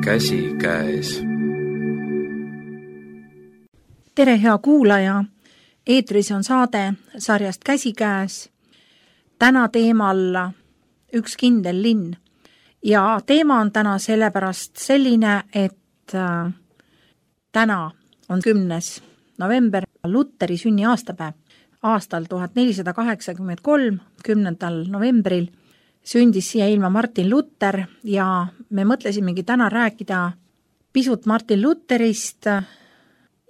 käsikäes. Tere, hea kuulaja! Eetris on saade sarjast Käsikäes. Täna teemal üks kindel linn. Ja teema on täna sellepärast selline, et täna on 10. november, Lutteri sünniaastapäev. Aastal 1483, 10. novembril sündis siia ilma Martin Luther ja me mõtlesimegi täna rääkida pisut Martin Lutherist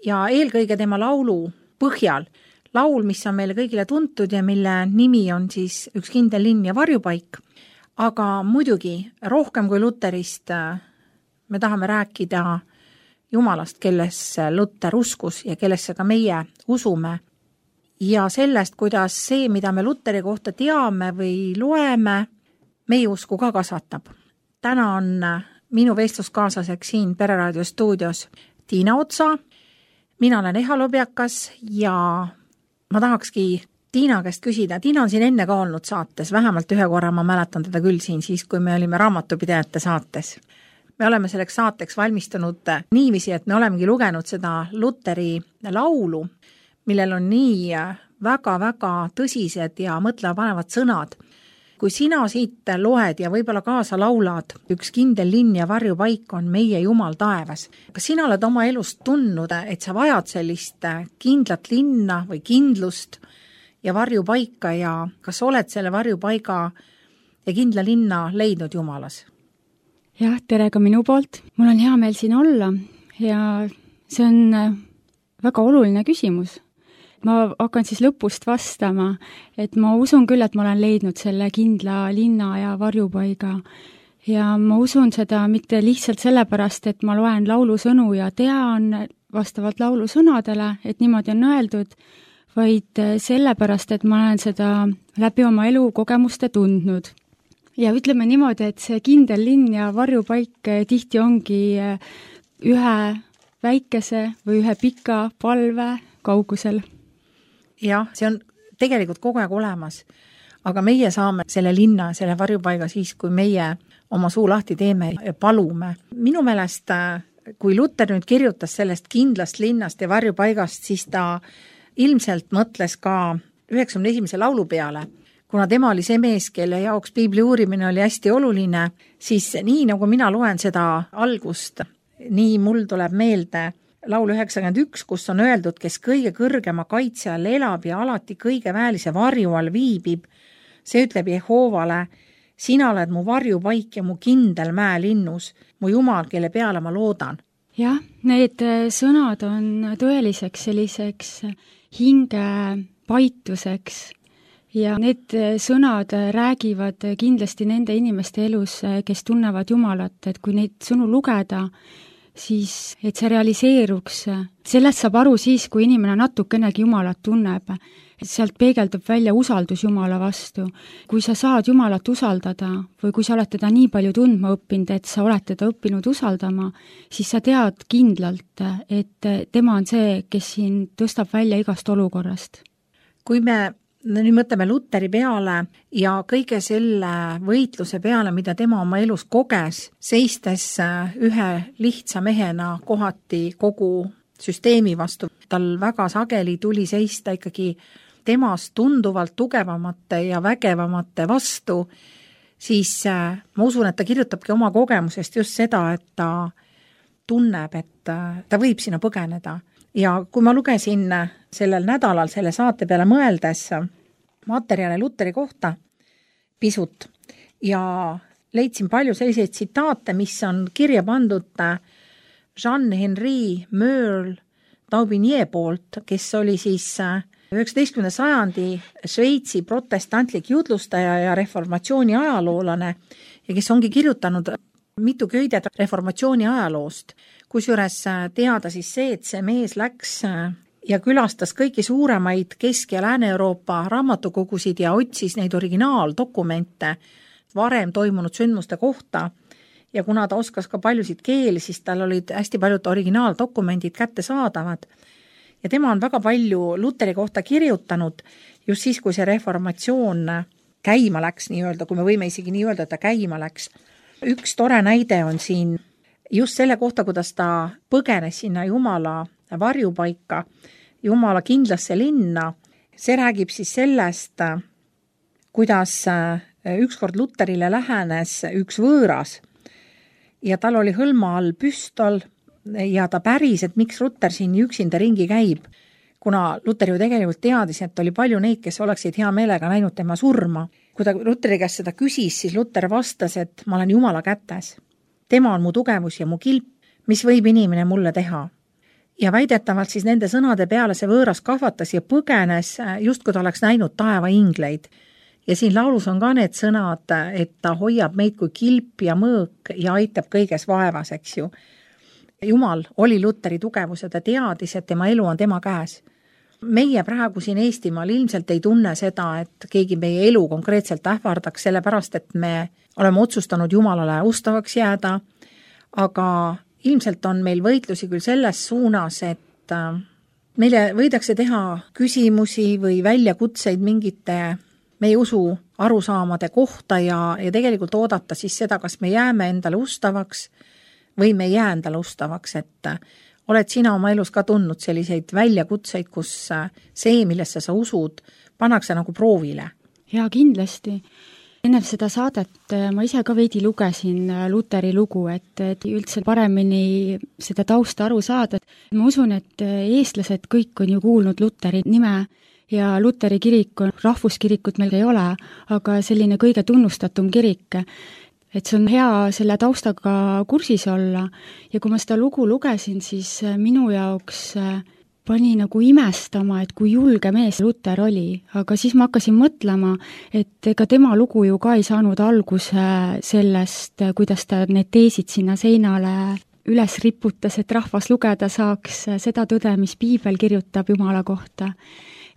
ja eelkõige tema laulu põhjal. Laul, mis on meile kõigile tuntud ja mille nimi on siis Üks kindel linn ja varjupaik. Aga muidugi rohkem kui Lutherist me tahame rääkida Jumalast, kellesse Luther uskus ja kellesse ka meie usume. Ja sellest, kuidas see, mida me Lutheri kohta teame või loeme, meie usku ka kasvatab. Täna on minu vestluskaaslaseks siin Pereraadio stuudios Tiina Otsa. Mina olen Eha Lobjakas ja ma tahakski Tiina käest küsida. Tiina on siin enne ka olnud saates, vähemalt ühe korra ma mäletan teda küll siin siis, kui me olime raamatupidajate saates. Me oleme selleks saateks valmistunud niiviisi, et me olemegi lugenud seda Lutheri laulu, millel on nii väga-väga tõsised ja mõtlema panevad sõnad. Kui sina siit loed ja võib-olla kaasa laulad, üks kindel linn ja varjupaik on meie Jumal taevas. Kas sina oled oma elust tundnud, et sa vajad sellist kindlat linna või kindlust ja varjupaika ja kas oled selle varjupaiga ja kindla linna leidnud Jumalas? Jah, tere ka minu poolt. Mul on hea meel siin olla ja see on väga oluline küsimus. Ma hakkan siis lõpust vastama, et ma usun küll, et ma olen leidnud selle kindla linna ja varjupaiga. Ja ma usun seda mitte lihtsalt sellepärast, et ma loen laulusõnu ja tean vastavalt laulusõnadele, et niimoodi on öeldud, vaid sellepärast, et ma olen seda läbi oma elukogemuste tundnud. Ja ütleme niimoodi, et see kindel linn ja varjupaik tihti ongi ühe väikese või ühe pika palve kaugusel. Jah, see on tegelikult kogu aeg olemas, aga meie saame selle linna, selle varjupaiga siis, kui meie oma suu lahti teeme ja palume. Minu meelest, kui Luther nüüd kirjutas sellest kindlast linnast ja varjupaigast, siis ta ilmselt mõtles ka 91. laulu peale. Kuna tema oli see mees, kelle jaoks piibli uurimine oli hästi oluline, siis nii nagu mina loen seda algust, nii mul tuleb meelde laul 91, kus on öeldud, kes kõige kõrgema kaitse all elab ja alati kõige väelise varju all viibib. See ütleb Jehoovale, sina oled mu varjupaik ja mu kindel mäelinnus, mu Jumal, kelle peale ma loodan. Jah, need sõnad on tõeliseks selliseks hinge paituseks ja need sõnad räägivad kindlasti nende inimeste elus, kes tunnevad Jumalat, et kui neid sõnu lugeda, siis et see realiseeruks. Sellest saab aru siis, kui inimene natukenegi Jumalat tunneb. Sealt peegeldub välja usaldus Jumala vastu. Kui sa saad Jumalat usaldada või kui sa oled teda nii palju tundma õppinud, et sa oled teda õppinud usaldama, siis sa tead kindlalt, et tema on see, kes siin tõstab välja igast olukorrast. Kui me nüüd mõtleme Lutheri peale ja kõige selle võitluse peale, mida tema oma elus koges, seistes ühe lihtsa mehena kohati kogu süsteemi vastu. Tal väga sageli tuli seista ikkagi temast tunduvalt tugevamate ja vägevamate vastu, siis ma usun, et ta kirjutabki oma kogemusest just seda, et ta tunneb, et ta võib sinna põgeneda. Ja kui ma lugesin sellel nädalal selle saate peale mõeldes materjale Lutheri kohta pisut ja leidsin palju selliseid tsitaate, mis on kirja pandud Jean-Henri Merle-Daubigny poolt, kes oli siis 19. sajandi Šveitsi protestantlik jutlustaja ja reformatsiooni ajaloolane ja kes ongi kirjutanud mitu köidet reformatsiooni ajaloost. Kusjuures teada siis see, et see mees läks ja külastas kõiki suuremaid Kesk- ja Lääne-Euroopa raamatukogusid ja otsis neid originaaldokumente varem toimunud sündmuste kohta. Ja kuna ta oskas ka paljusid keeli, siis tal olid hästi paljud originaaldokumendid kättesaadavad. Ja tema on väga palju Lutheri kohta kirjutanud just siis, kui see reformatsioon käima läks, nii öelda, kui me võime isegi nii öelda, et ta käima läks. Üks tore näide on siin just selle kohta, kuidas ta põgenes sinna Jumala varjupaika, Jumala kindlasse linna. See räägib siis sellest, kuidas ükskord Luterile lähenes üks võõras ja tal oli hõlma all püstol ja ta päris, et miks Luter siin üksinda ringi käib, kuna Luter ju tegelikult teadis, et oli palju neid, kes oleksid hea meelega näinud tema surma. Kui ta Luteri käest seda küsis, siis Luter vastas, et ma olen Jumala kätes. Tema on mu tugevus ja mu kilp, mis võib inimene mulle teha. Ja väidetavalt siis nende sõnade peale see võõras kahvatas ja põgenes, just kui ta oleks näinud taeva ingleid. Ja siin laulus on ka need sõnad, et ta hoiab meid kui kilp ja mõõk ja aitab kõiges vaevas, eks ju. Jumal oli Luteri tugevus ja ta teadis, et tema elu on tema käes. Meie praegu siin Eestimaal ilmselt ei tunne seda, et keegi meie elu konkreetselt ähvardaks, sellepärast, et me oleme otsustanud Jumalale ustavaks jääda, aga ilmselt on meil võitlusi küll selles suunas, et meile võidakse teha küsimusi või väljakutseid mingite meie usu arusaamade kohta ja tegelikult oodata siis seda, kas me jääme endale ustavaks või me ei jää endale ustavaks, et oled sina oma elus ka tundnud selliseid väljakutseid, kus see, millesse sa usud, pannakse nagu proovile? Jaa, kindlasti. Enne seda saadet ma ise ka veidi lugesin Luteri lugu, et üldse paremini seda tausta aru saada. Ma usun, et eestlased kõik on ju kuulnud Luteri nime ja Luteri kirik on, rahvuskirikut meil ei ole, aga selline kõige tunnustatum kirik. Et see on hea selle taustaga kursis olla ja kui ma seda lugu lugesin, siis minu jaoks pani nagu imestama, et kui julge mees Luter oli, aga siis ma hakkasin mõtlema, et ega tema lugu ju ka ei saanud alguse sellest, kuidas ta need teesid sinna seinale üles riputas, et rahvas lugeda saaks seda tõde, mis piibel kirjutab Jumala kohta.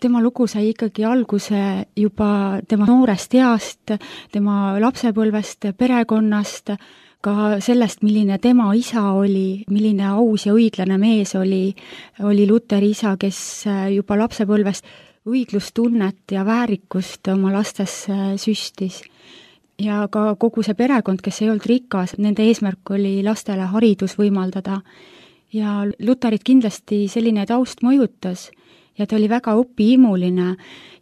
Tema lugu sai ikkagi alguse juba tema noorest east, tema lapsepõlvest, perekonnast, ka sellest, milline tema isa oli, milline aus ja õiglane mees oli Luteri isa, kes juba lapsepõlvest õiglustunnet ja väärikust oma lastes süstis. Ja ka kogu see perekond, kes ei olnud rikas, nende eesmärk oli lastele haridus võimaldada. Ja Luterit kindlasti selline taust mõjutas ja ta oli väga õpihimuline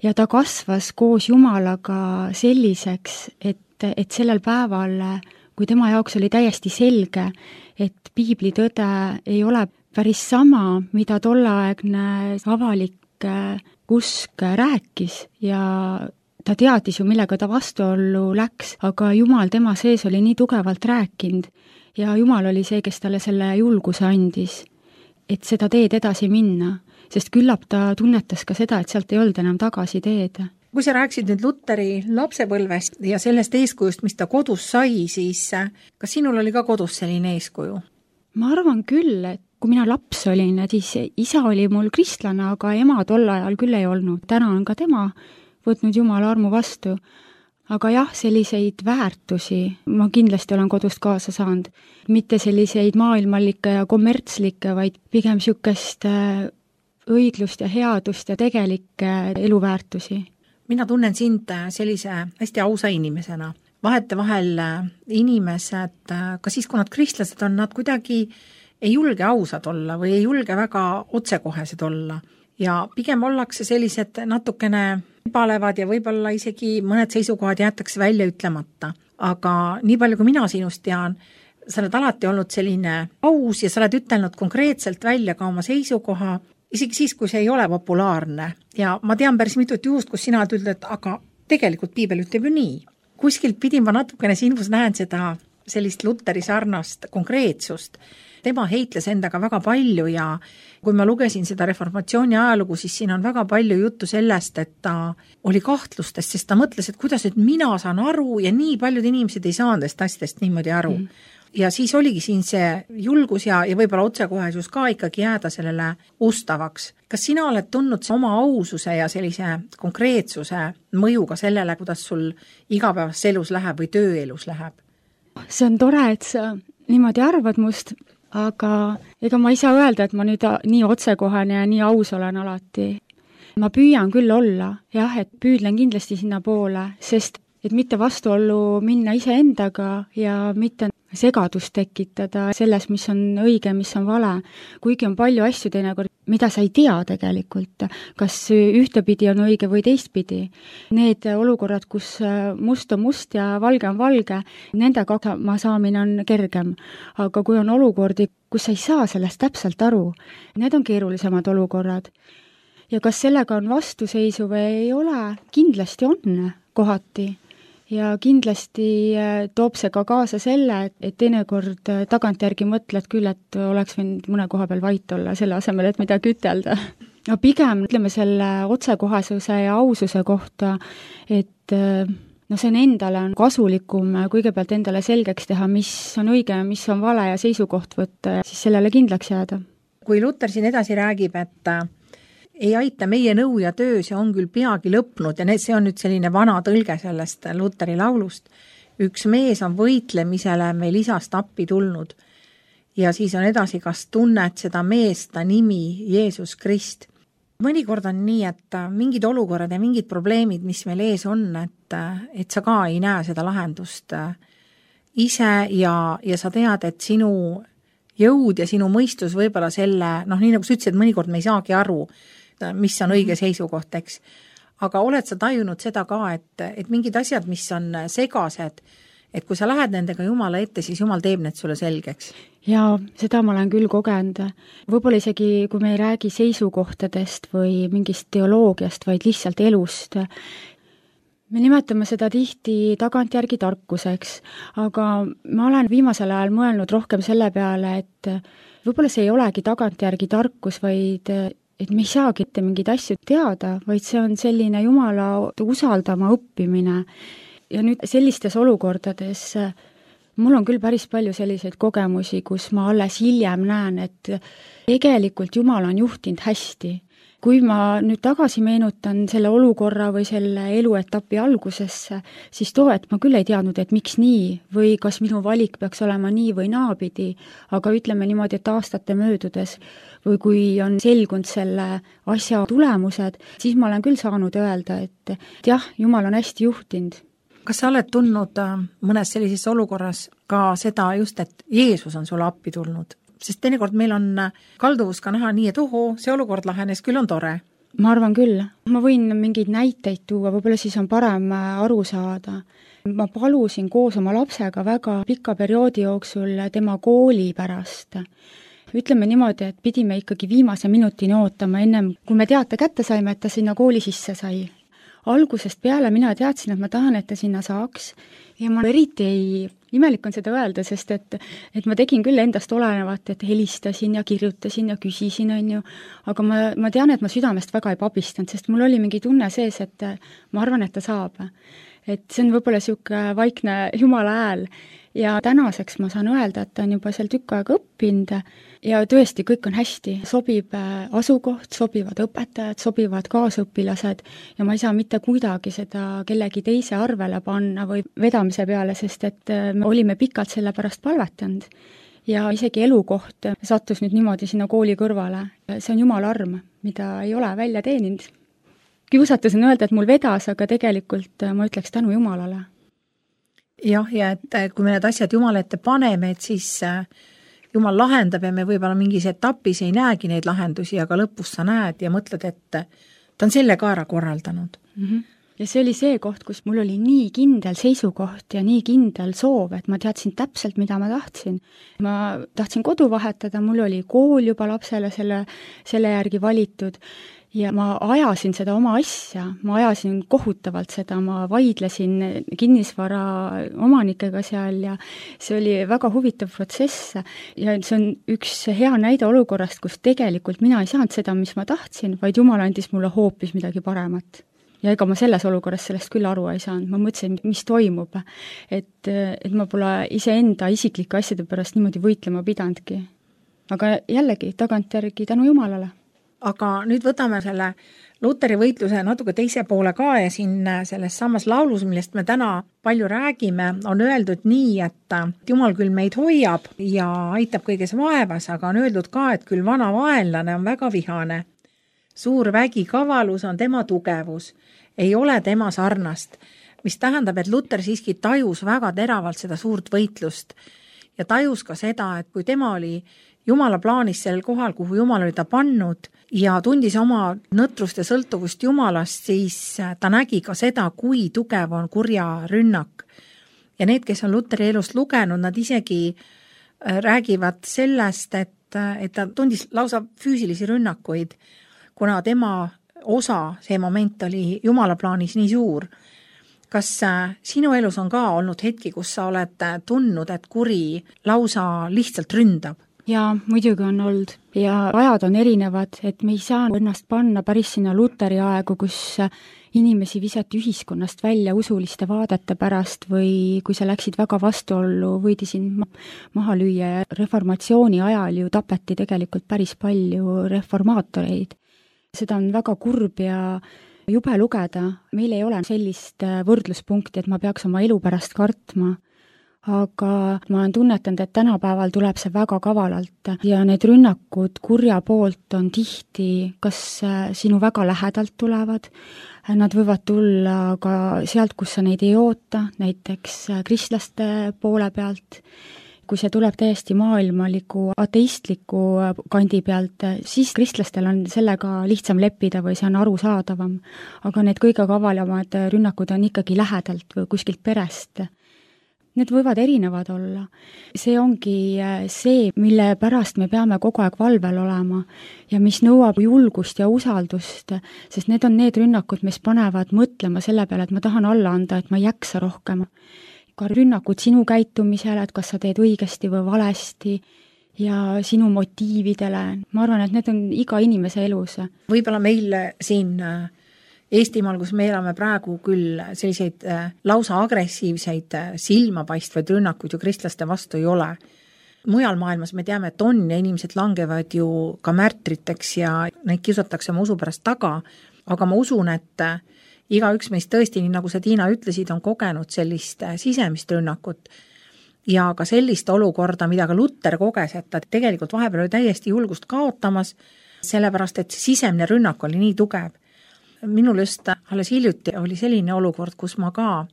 ja ta kasvas koos Jumalaga selliseks, et sellel päeval, kui tema jaoks oli täiesti selge, et piibli tõde ei ole päris sama, mida tollaegne avalik usk rääkis ja ta teadis ju, millega ta vastuollu läks, aga Jumal tema sees oli nii tugevalt rääkinud ja Jumal oli see, kes talle selle julguse andis, et seda teed edasi minna, sest küllap ta tunnetas ka seda, et sealt ei olnud enam tagasi teed. Kui sa rääksid nüüd Luteri lapsepõlvest ja sellest eeskujust, mis ta kodus sai, siis kas sinul oli ka kodus selline eeskuju? Ma arvan küll, et kui mina laps olin, siis isa oli mul kristlane, aga ema tol ajal küll ei olnud. Täna on ka tema võtnud Jumala armu vastu. Aga jah, selliseid väärtusi ma kindlasti olen kodust kaasa saanud. Mitte selliseid maailmalikke ja kommertslikke, vaid pigem sükest õiglust ja headust ja tegelikke eluväärtusi. Mina tunnen sind sellise hästi ausa inimesena. Vahetevahel inimesed, ka siis, kui nad kristlased on, nad kuidagi ei julge ausad olla või ei julge väga otsekohesed olla. Ja pigem ollakse sellised natukene palevad ja võib-olla isegi mõned seisukohad jäetakse välja ütlemata. Aga nii palju, kui mina sinust tean, sa oled alati olnud selline aus ja sa oled ütelnud konkreetselt välja ka oma seisukoha, isegi siis, kui see ei ole populaarne. Ja ma tean päris mitut juhust, kus sina oled ütled, et aga tegelikult piibel ütleb ju nii. Kuskilt pidin ma natukene sinus näen seda sellist Luteri sarnast konkreetsust. Tema heitles endaga väga palju ja kui ma lugesin seda reformatsiooni ajalugu, siis siin on väga palju juttu sellest, et ta oli kahtlustest, sest ta mõtles, et kuidas et mina saan aru ja nii paljud inimesed ei saanud asjadest niimoodi aru. Ja siis oligi siin see julgus ja võib-olla otsekohesus ka ikkagi jääda sellele ustavaks. Kas sina oled tundnud oma aususe ja sellise konkreetsuse mõjuga sellele, kuidas sul igapäevas elus läheb või tööelus läheb? See on tore, et sa niimoodi arvad must, aga ega ma ei saa öelda, et ma nüüd nii otsekohane ja nii aus olen alati. Ma püüan küll olla, jah, et püüdlen kindlasti sinna poole, sest et mitte vastuollu minna iseendaga ja mitte segadust tekitada selles, mis on õige, mis on vale. Kuigi on palju asju teinekord, mida sa ei tea tegelikult, kas ühtepidi on õige või teistpidi. Need olukorrad, kus must on must ja valge on valge, nendega hakkama saamine on kergem. Aga kui on olukordi, kus sa ei saa sellest täpselt aru, need on keerulisemad olukorrad. Ja kas sellega on vastuseisu või ei ole? Kindlasti on kohati. Ja kindlasti toob see ka kaasa selle, et teinekord tagantjärgi mõtled küll, et oleks võinud mõne koha peal vait olla selle asemel, et midagi ütelda. No pigem ütleme selle otsekohasuse ja aususe kohta, et see on endale on kasulikum kõigepealt endale selgeks teha, mis on õige, mis on vale ja seisukoht võtta ja siis sellele kindlaks jääda. Kui Luter siin edasi räägib, et ei aita meie nõu ja töö, see on küll peagi lõpnud ja see on nüüd selline vana tõlge sellest Luteri laulust. Üks mees on võitlemisele meil isast appi tulnud ja siis on edasi, kas tunned seda meest, ta nimi Jeesus Krist. Mõnikord on nii, et mingid olukorrad ja mingid probleemid, mis meil ees on, et sa ka ei näe seda lahendust ise ja sa tead, et sinu jõud ja sinu mõistus võib-olla selle, nii nagu sa ütlesid, mõnikord me ei saagi aru, mis on õige seisukoht, eks. Aga oled sa tajunud seda ka, et mingid asjad, mis on segased, et kui sa lähed nendega Jumala ette, siis Jumal teeb need sulle selgeks? Ja seda ma olen küll kogenud. Võib-olla isegi, kui me ei räägi seisukohtadest või mingist teoloogiast, vaid lihtsalt elust. Me nimetame seda tihti tagantjärgi tarkuseks, aga ma olen viimasel ajal mõelnud rohkem selle peale, et võib-olla see ei olegi tagantjärgi tarkus, vaid et me ei saagi ette mingeid asju teada, vaid see on selline Jumala usaldama õppimine. Ja nüüd sellistes olukordades mul on küll päris palju selliseid kogemusi, kus ma alles hiljem näen, et tegelikult Jumal on juhtinud hästi. Kui ma nüüd tagasi meenutan selle olukorra või selle eluetapi algusesse, siis et ma küll ei teadnud, et miks nii või kas minu valik peaks olema nii või naapidi, aga ütleme niimoodi, et aastate möödudes või kui on selgunud selle asja tulemused, siis ma olen küll saanud öelda, et jah, Jumal on hästi juhtinud. Kas sa oled tundnud mõnes sellises olukorras ka seda just, et Jeesus on sulle appi tulnud? Sest teinekord meil on kalduvus ka näha nii, et see olukord lahenes, küll on tore. Ma arvan küll. Ma võin mingeid näiteid tuua, võib-olla siis on parem aru saada. Ma palusin koos oma lapsega väga pika perioodi jooksul tema kooli pärast. Ütleme niimoodi, et pidime ikkagi viimase minutini ootama ennem, kui me teate kätte saime, et ta sinna kooli sisse sai. Algusest peale mina teadsin, et ma tahan, et ta sinna saaks ja ma eriti imelik on seda öelda, sest et ma tegin küll endast olenevat, et helistasin ja kirjutasin ja küsisin, aga ma tean, et ma südamest väga ei pabistanud, sest mul oli mingi tunne sees, et ma arvan, et ta saab. Et see on võib-olla siuke vaikne Jumala hääl ja tänaseks ma saan öelda, et ta on juba seal tükk aega õppinud ja tõesti kõik on hästi, sobib asukoht, sobivad õpetajad, sobivad kaasõpilased ja ma ei saa mitte kuidagi seda kellegi teise arvele panna või vedamise peale, sest et me olime pikalt selle pärast palvetanud ja isegi elukoht sattus nüüd niimoodi sinna kooli kõrvale. See on Jumala arm, mida ei ole välja teeninud. Kiusatus on öelda, et mul vedas, aga tegelikult ma ütleks tänu Jumalale. Jah, ja et kui me need asjad Jumala ette paneme, et siis Jumal lahendab ja me võib-olla mingis etapis ei näegi neid lahendusi, aga lõpus sa näed ja mõtled, et ta on selle ka ära korraldanud. Ja see oli see koht, kus mul oli nii kindel seisukoht ja nii kindel soov, et ma teadsin täpselt, mida ma tahtsin. Ma tahtsin kodu vahetada, mul oli kool juba lapsele selle järgi valitud ja ma ajasin seda oma asja, ma ajasin kohutavalt seda, ma vaidlesin kinnisvara omanikega seal ja see oli väga huvitav protsess ja see on üks hea näide olukorrast, kus tegelikult mina ei saanud seda, mis ma tahtsin, vaid Jumal andis mulle hoopis midagi paremat. Ja ega ma selles olukorras sellest küll aru ei saanud, ma mõtlesin, mis toimub, et ma pole iseenda isiklike asjade pärast niimoodi võitlema pidanudki. Aga jällegi, tagantjärgi tänu Jumalale. Aga nüüd võtame selle Luteri võitluse natuke teise poole ka ja siin selles samas laulus, millest me täna palju räägime, on öeldud nii, et Jumal küll meid hoiab ja aitab kõiges vaevas, aga on öeldud ka, et küll vana vaenlane on väga vihane. Suur vägi kavalus on tema tugevus, ei ole tema sarnast, mis tähendab, et Luter siiski tajus väga teravalt seda suurt võitlust ja tajus ka seda, et kui tema oli Jumala plaanis sellel kohal, kuhu Jumal oli ta pannud ja tundis oma nõtrust ja sõltuvust Jumalast, siis ta nägi ka seda, kui tugev on kurja rünnak. Ja need, kes on Luteri elust lugenud, nad isegi räägivad sellest, et ta tundis lausa füüsilisi rünnakuid, kuna tema osa, see moment oli Jumala plaanis nii suur. Kas sinu elus on ka olnud hetki, kus sa oled tundnud, et kuri lausa lihtsalt ründab? Jaa, muidugi on olnud ja ajad on erinevad, et me ei saa ennast panna päris sinna Luteri aegu, kus inimesi visati ühiskonnast välja usuliste vaadete pärast või kui sa läksid väga vastuollu, võidi sind maha lüüa ja reformatsiooni ajal ju tapeti tegelikult päris palju reformaatoreid. Seda on väga kurb ja jube lugeda, meil ei ole sellist võrdluspunkti, et ma peaks oma elu pärast kartma. Aga ma olen tunnetanud, et tänapäeval tuleb see väga kavalalt ja need rünnakud kurja poolt on tihti, kas sinu väga lähedalt tulevad, nad võivad tulla ka sealt, kus sa neid ei oota, näiteks kristlaste poole pealt. Kui see tuleb täiesti maailmaliku, ateistliku kandi pealt, siis kristlastel on sellega lihtsam leppida või see on arusaadavam. Aga need kõige kavalamad rünnakud on ikkagi lähedalt või kuskilt perest. Need võivad erinevad olla. See ongi see, mille pärast me peame kogu aeg valvel olema ja mis nõuab julgust ja usaldust, sest need on need rünnakud, mis panevad mõtlema selle peale, et ma tahan alla anda, et ma ei jaksa rohkem. Ka rünnakud sinu käitumisele, et kas sa teed õigesti või valesti ja sinu motiividele. Ma arvan, et need on iga inimese elus. Võib-olla meil siin Eestimaal, kus me elame praegu küll selliseid lausa agressiivseid silmapaistvaid rünnakuid ju kristlaste vastu ei ole. Mujal maailmas me teame, et on ja inimesed langevad ju ka märtriteks ja neid kiusatakse oma usu pärast taga, aga ma usun, et igaüks meist tõesti, nii nagu sa Tiina ütlesid, on kogenud sellist sisemist rünnakut ja ka sellist olukorda, mida ka Luter koges, et ta tegelikult vahepeal oli täiesti julgust kaotamas, sellepärast et sisemine rünnak oli nii tugev. Minul just alles hiljuti oli selline olukord, kus ma ka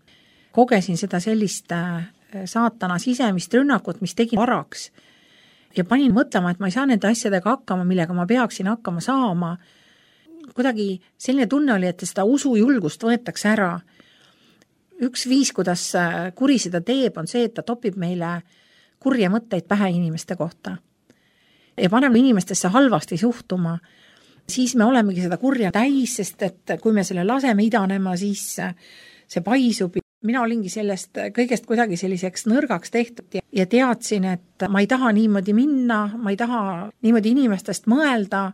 kogesin seda sellist saatana sisemist rünnakut, mis tegi varaks ja panin mõtlema, et ma ei saa nende asjadega hakkama, millega ma peaksin hakkama saama. Kuidagi selline tunne oli, et seda usujulgust võetakse ära. Üks viis, kuidas kuri seda teeb, on see, et ta topib meile kurje mõtteid pähe inimeste kohta ja paneb inimestesse halvasti suhtuma. Siis me olemegi seda kurja täis, sest et kui me selle laseme idanema, siis see paisub. Mina olingi sellest kõigest kuidagi selliseks nõrgaks tehtud ja teadsin, et ma ei taha niimoodi minna, ma ei taha niimoodi inimestest mõelda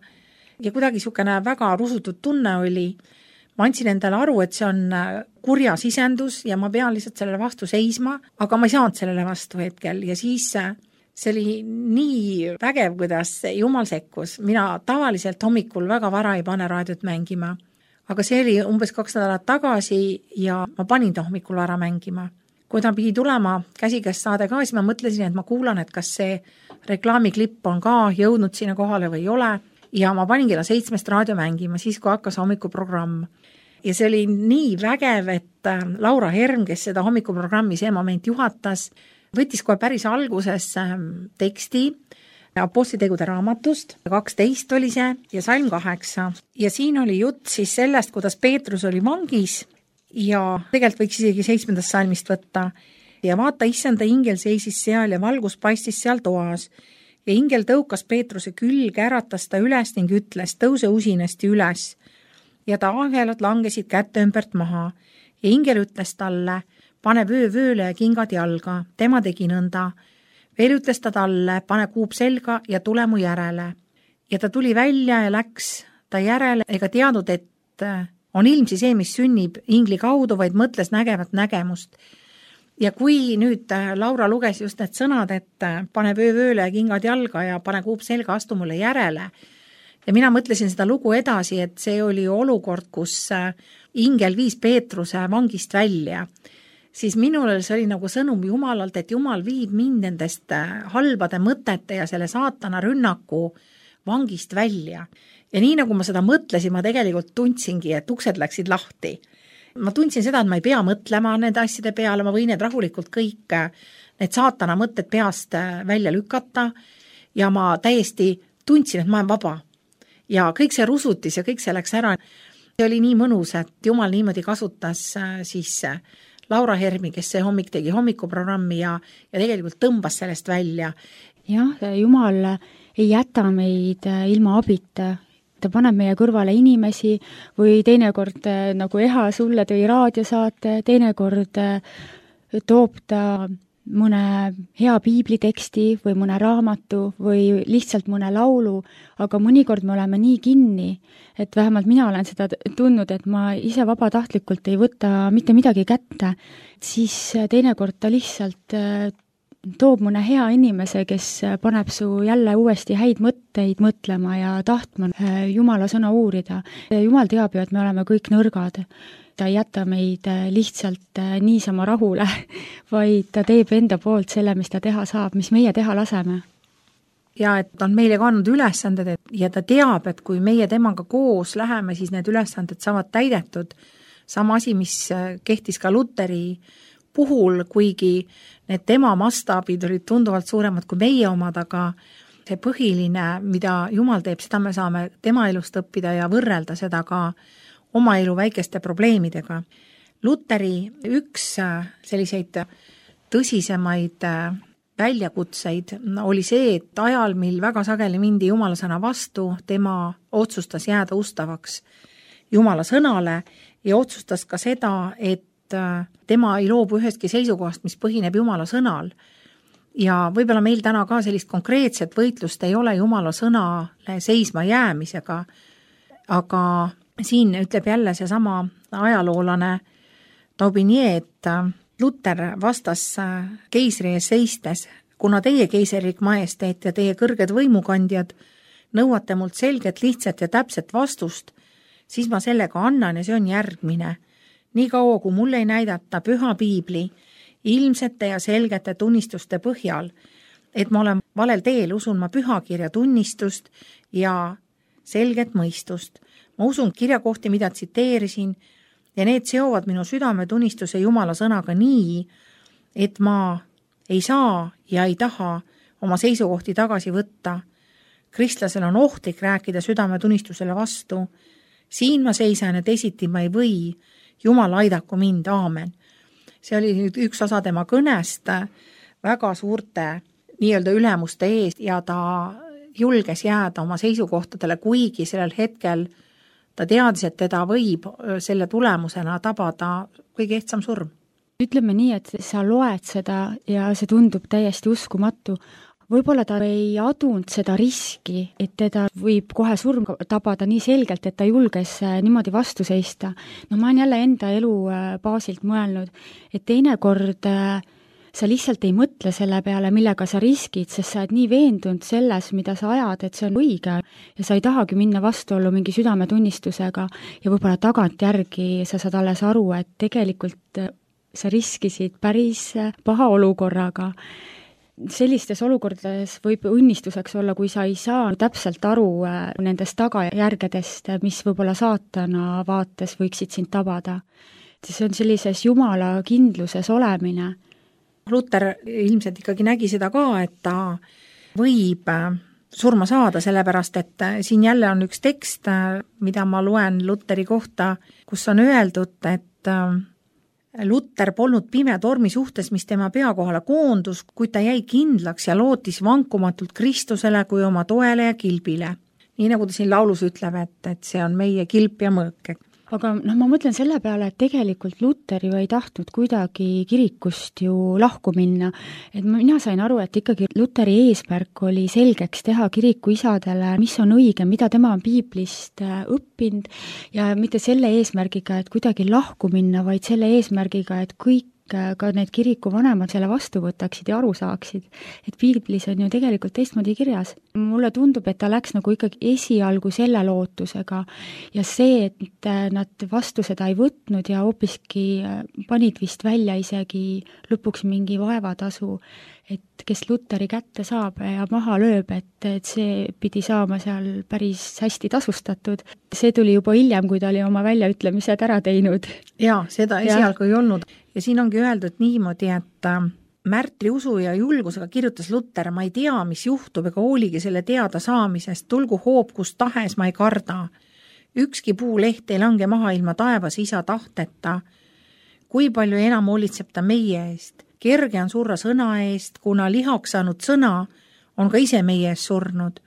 ja kuidagi niisugune väga rusutud tunne oli. Ma andsin endale aru, et see on kurja sisendus ja ma pean lihtsalt sellele vastu seisma, aga ma ei saanud sellele vastu hetkel ja siis see oli nii vägev, kuidas Jumal sekkus. Mina tavaliselt hommikul väga vara ei pane raadiot mängima, aga see oli umbes 2 nädalat tagasi ja ma panin ta hommikul vara mängima. Kui ta pidi tulema käsikäest saade ka, siis ma mõtlesin, et ma kuulan, et kas see reklaamiklipp on ka jõudnud sinna kohale või ei ole ja ma panin kella 7 raadio mängima, siis kui hakkas hommikuprogramm. Ja see oli nii vägev, et Laura Herm, kes seda hommikuprogrammi see moment juhatas, võttis kohe päris alguses teksti Apostlitegude raamatust, 12 oli see ja salm 8. Ja siin oli jutt siis sellest, kuidas Peetrus oli vangis ja tegelikult võiks isegi 7. salmist võtta. Ja vaata, issanda ingel seisis seal ja valgus paistis seal toas. Ja ingel tõukas Peetruse külge, äratas ta üles ning ütles, tõuse usinasti üles. Ja ta ahelad langesid kätte ümbert maha. Ja ingel ütles talle, pane vööle ja kingad jalga, tema tegi nõnda. Veel ütles ta talle, pane kuup selga ja tule mu järele. Ja ta tuli välja ja läks ta järele ega teadnud, et on ilmsi see, mis sünnib ingli kaudu, vaid mõtles nägevat nägemust. Ja kui nüüd Laura luges just need sõnad, et pane vööle ja kingad jalga ja pane kuup selga, astu mulle järele. Ja mina mõtlesin seda lugu edasi, et see oli olukord, kus ingel viis Peetruse vangist välja. Siis minul see oli nagu sõnum Jumalalt, et Jumal viib mind nendest halbade mõtete ja selle saatana rünnaku vangist välja. Ja nii nagu ma seda mõtlesin, ma tegelikult tundsingi, et uksed läksid lahti. ma tundsin seda, et ma ei pea mõtlema nende asjade peale, ma võin need rahulikult kõik, need saatana mõtted peast välja lükata ja ma täiesti tundsin, et ma olen vaba. Ja kõik see rusutis ja kõik see läks ära. See oli nii mõnus, et Jumal niimoodi kasutas siis Laura Hermi, kes see hommik tegi hommikuprogrammi ja tegelikult tõmbas sellest välja. Jah, Jumal ei jäta meid ilma abita. Ta paneb meie kõrvale inimesi või teinekord nagu Eha sulle tõi raadiosaate, teinekord toob ta mõne hea piibliteksti või mõne raamatu või lihtsalt mõne laulu, aga mõnikord me oleme nii kinni, et vähemalt mina olen seda tundnud, et ma ise vabatahtlikult ei võta mitte midagi kätte, siis teinekord ta lihtsalt toob mõne hea inimese, kes paneb su jälle uuesti häid mõtteid mõtlema ja tahtma Jumala sõna uurida. Jumal teab ju, et me oleme kõik nõrgad. Ta ei jäta meid lihtsalt niisama rahule, vaid ta teeb enda poolt selle, mis ta teha saab, mis meie teha laseme. Ja et ta on meile kandnud ülesanded ja ta teab, et kui meie temaga koos läheme, siis need ülesanded saavad täidetud. Sama asi, mis kehtis ka Luteri puhul, kuigi need tema mastaabid olid tunduvalt suuremad kui meie omad, aga see põhiline, mida Jumal teeb, seda me saame tema elust õppida ja võrrelda seda ka oma elu väikeste probleemidega. Luteri üks selliseid tõsisemaid väljakutseid oli see, et ajal, mil väga sageli mindi Jumala sõna vastu, tema otsustas jääda ustavaks Jumala sõnale ja otsustas ka seda, et tema ei loobu ühestki seisukohast, mis põhineb Jumala sõnal. Ja võib-olla meil täna ka sellist konkreetset võitlust ei ole Jumala sõnale seisma jäämisega, aga siin ütleb jälle seesama ajaloolane Taubinier, et Luter vastas keisri ees seistes, kuna teie keiserilik majesteet ja teie kõrged võimukandjad nõuate mult selget, lihtsat ja täpset vastust, siis ma sellega annan ja see on järgmine. Nii kaua, kui mulle ei näidata püha piibli ilmsete ja selgete tunnistuste põhjal, et ma olen valel teel, usun ma pühakirja tunnistust ja selget mõistust. Ma usun kirjakohti, mida tsiteerisin, ja need seovad minu südametunnistuse Jumala sõnaga nii, et ma ei saa ja ei taha oma seisukohti tagasi võtta. Kristlasel on ohtlik rääkida südametunnistusele vastu. Siin ma seisan ja teisiti ma ei või. Jumal aidaku mind, aamen. See oli nüüd üks osa tema kõnest väga suurte nii-öelda ülemuste eest ja ta julges jääda oma seisukohtadele, kuigi sellel hetkel ta teadis, et teda võib selle tulemusena tabada kõige ehtsam surm. Ütleme nii, et sa loed seda ja see tundub täiesti uskumatu. Võib-olla ta ei adunud seda riski, et teda võib kohe surm tabada nii selgelt, et ta julges niimoodi vastu seista. No ma olen jälle enda elu baasilt mõelnud, et teinekord sa lihtsalt ei mõtle selle peale, millega sa riskid, sest sa oled nii veendunud selles, mida sa ajad, et see on õige ja sa ei tahagi minna vastuollu mingi südametunnistusega ja võib-olla tagantjärgi sa saad alles aru, et tegelikult sa riskisid päris paha olukorraga. Sellistes olukordades võib õnnistuseks olla, kui sa ei saa täpselt aru nendest tagajärgedest, mis võib-olla saatana vaates võiksid sind tabada. See on sellises Jumala kindluses olemine. Luter ilmselt ikkagi nägi seda ka, et ta võib surma saada, sellepärast et siin jälle on üks tekst, mida ma loen Luteri kohta, kus on öeldud, et Luter polnud pime tormi suhtes, mis tema pea kohale koondus, kuid ta jäi kindlaks ja lootis vankumatult Kristusele kui oma toele ja kilbile. Nii nagu ta siin laulus ütleb, et see on meie kilp ja mõõk. Aga ma mõtlen selle peale, et tegelikult Luter ju ei tahtnud kuidagi kirikust ju lahku minna. Et mina sain aru, et ikkagi Luteri eesmärk oli selgeks teha kiriku isadele, mis on õige, mida tema on piiblist õppinud ja mitte selle eesmärgiga, et kuidagi lahku minna, vaid selle eesmärgiga, et kõik ka need kiriku vanemad selle vastu võtaksid ja aru saaksid. Et piiblis on ju tegelikult teistmoodi kirjas. mulle tundub, et ta läks nagu ikkagi esialgu selle lootusega ja see, et nad vastu seda ei võtnud ja hoopiski panid vist välja isegi lõpuks mingi vaevatasu, et kes Luteri kätte saab ja maha lööb, et see pidi saama seal päris hästi tasustatud. See tuli juba hiljem, kui ta oli oma väljaütlemised ära teinud. Jaa, seda esialgu ei olnud. Ja siin ongi öeldud niimoodi, et Märtri usu ja julgusega kirjutas Luter, ma ei tea, mis juhtub ega hooligi selle teada saamisest, tulgu hoob kus tahes, ma ei karda. Ükski puuleht ei lange maha ilma taevas isa tahteta. Kui palju enam hoolitseb ta meie eest? Kerge on surra sõna eest, kuna lihaks saanud sõna on ka ise meie ees surnud.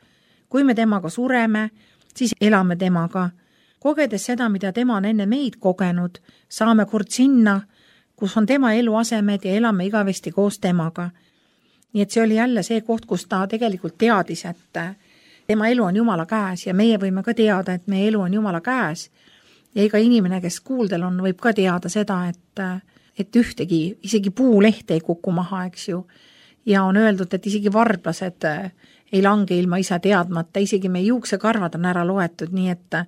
Kui me temaga sureme, siis elame temaga. Kogedes seda, mida tema on enne meid kogenud, saame kord sinna, kus on tema eluasemed ja elame igavesti koos temaga. Nii et see oli jälle see koht, kus ta tegelikult teadis, et tema elu on Jumala käes ja meie võime ka teada, et meie elu on Jumala käes. Ja iga inimene, kes kuuldel on, võib ka teada seda, et ühtegi, isegi puuleht ei kuku maha, eks ju. Ja on öeldud, et isegi varblased ei lange ilma isa teadmata, isegi meie juuksekarvad on ära loetud, nii et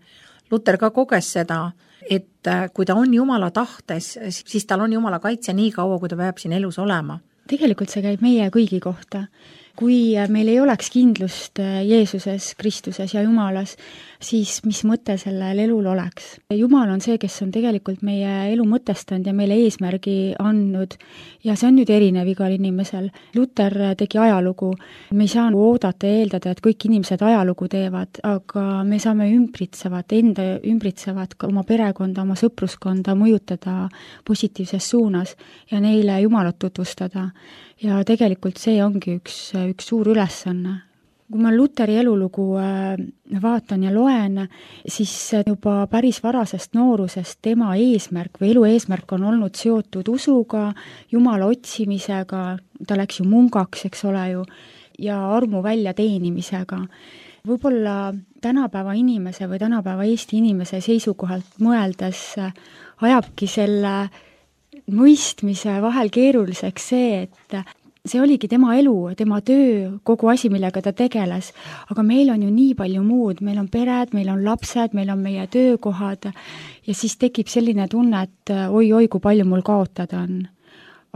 Luter ka koges seda, et kui ta on Jumala tahtes, siis tal on Jumala kaitse nii kaua, kui ta peab siin elus olema. Tegelikult see käib meie kõigi kohta. Kui meil ei oleks kindlust Jeesuses, Kristuses ja Jumalas, siis mis mõte sellel elul oleks? Jumal on see, kes on tegelikult meie elu mõtestanud ja meile eesmärgi andnud ja see on nüüd erinev igal inimesel. Luter tegi ajalugu. Me ei saa oodata ja eeldada, et kõik inimesed ajalugu teevad, aga me saame enda ümbritsevat oma perekonda, oma sõpruskonda mõjutada positiivses suunas ja neile Jumalat tutvustada. Ja tegelikult see ongi üks suur ülesanne. Kui ma Luteri elulugu vaatan ja loen, siis juba päris varasest noorusest tema eesmärk või elu eesmärk on olnud seotud usuga, Jumala otsimisega, ta läks ju mungaks, eks ole ju, ja armu väljateenimisega. Võib-olla tänapäeva inimese või tänapäeva Eesti inimese seisukohalt mõeldes ajabki selle mõistmise vahel keeruliseks see, et see oligi tema elu, tema töö, kogu asi, millega ta tegeles, aga meil on ju nii palju muud, meil on pered, meil on lapsed, meil on meie töökohad ja siis tekib selline tunne, et oi, kui palju mul kaotada on.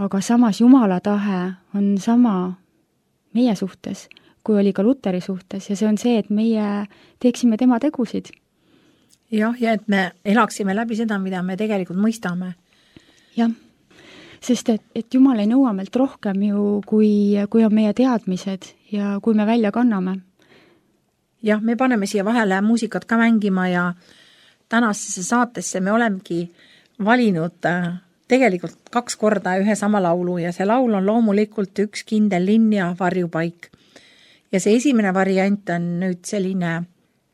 Aga samas Jumala tahe on sama meie suhtes, kui oli ka Luteri suhtes ja see on see, et meie teeksime tema tegusid. Jah, ja et me elaksime läbi seda, mida me tegelikult mõistame. Jah. Sest et Jumal ei nõua meilt rohkem ju, kui on meie teadmised ja kui me välja kanname. Jah, me paneme siia vahele muusikat ka mängima ja tänasesse saatesse me olemegi valinud tegelikult 2 korda ühe sama laulu ja see laul on loomulikult Üks kindel linn ja varjupaik. Ja see esimene variant on nüüd selline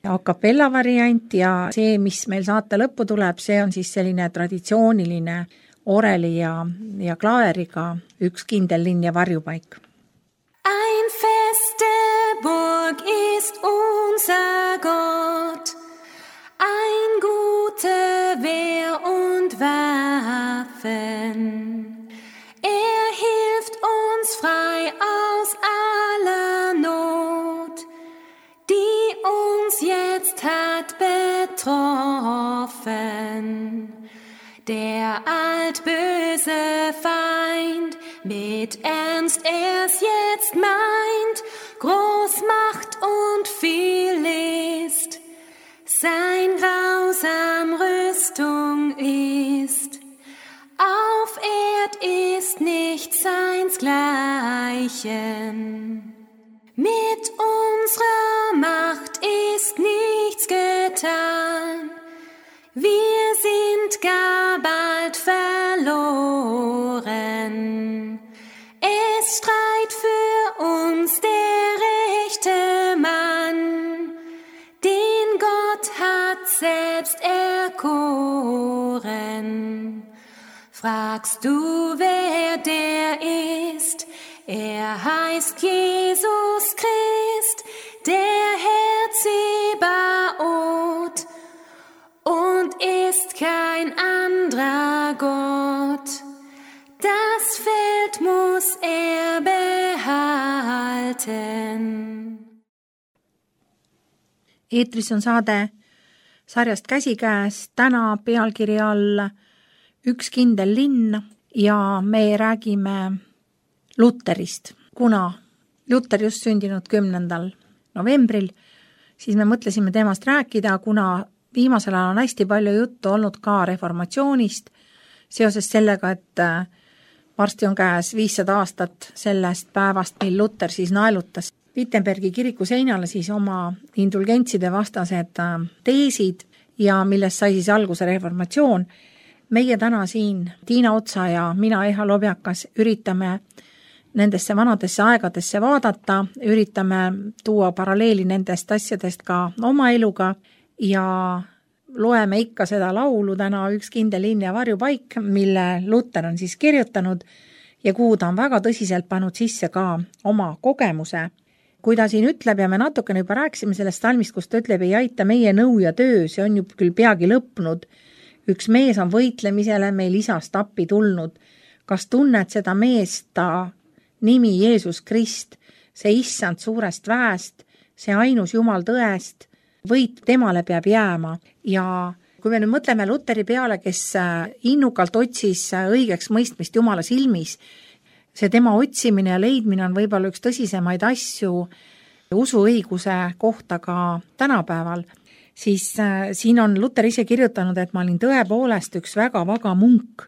a cappella variant ja see, mis meil saate lõppu tuleb, see on siis selline traditsiooniline oreli ja klaaveriga Üks kindel linn ja varjupaik. Ein feste Burg ist unser Gott, ein gute Wehr und Waffen. Hilft uns frei aus aller Not, die uns jetzt hat betroffen. Der altböse Feind mit Ernst er's jetzt meint, Großmacht und viel List, sein grausam Rüstung ist. Auf Erd ist nichts seinsgleichen. Mit unserer Macht ist nichts getan. Wir sind gar bald verloren. Es streit für uns der rechte Mann, den Gott hat selbst erkoren. Fragst du, wer der ist? Er heißt Jesus Christ, der Herr Zebaoth, und ist kein anderer Gott. Das Feld muss er behalten. eetris on saade sarjast Käsikäes, täna pealkiri all Üks kindel linn ja me räägime Lutterist. Kuna Lutter just sündinud 10. novembril, siis me mõtlesime temast rääkida, kuna viimasel ajal on hästi palju juttu olnud ka reformatsioonist, seoses sellega, et varsti on käes 500 aastat sellest päevast, mil Lutter siis naelutas Wittenbergi kiriku seinale siis oma indulgentside vastased teesid ja millest sai siis alguse reformatsioon. Meie täna siin, Tiina Otsa ja mina, Eha Lobjakas, üritame nendesse vanadesse aegadesse vaadata, üritame tuua paralleeli nendest asjadest ka oma eluga ja loeme ikka seda laulu täna Üks kindel linn ja varjupaik, mille Lutter on siis kirjutanud ja kuhu ta on väga tõsiselt pannud sisse ka oma kogemuse. Kui ta siin ütleb ja me natukene juba rääkisime sellest salmist, kus ta ütleb, ei aita meie nõu ja töö, see on ju küll peagi lõpnud. Üks mees on võitlemisele meil isast appi tulnud. Kas tunned seda meest, ta nimi Jeesus Krist, see issand suurest väest, see ainus Jumal tõest, võit temale peab jääma. Ja kui me nüüd mõtleme Lutteri peale, kes innukalt otsis õigeks mõistmist Jumala silmis, see tema otsimine ja leidmine on võib-olla üks tõsisemaid asju usuõiguse kohta ka tänapäeval, siis siin on Lutter ise kirjutanud, et ma olin tõepoolest üks väga vaga munk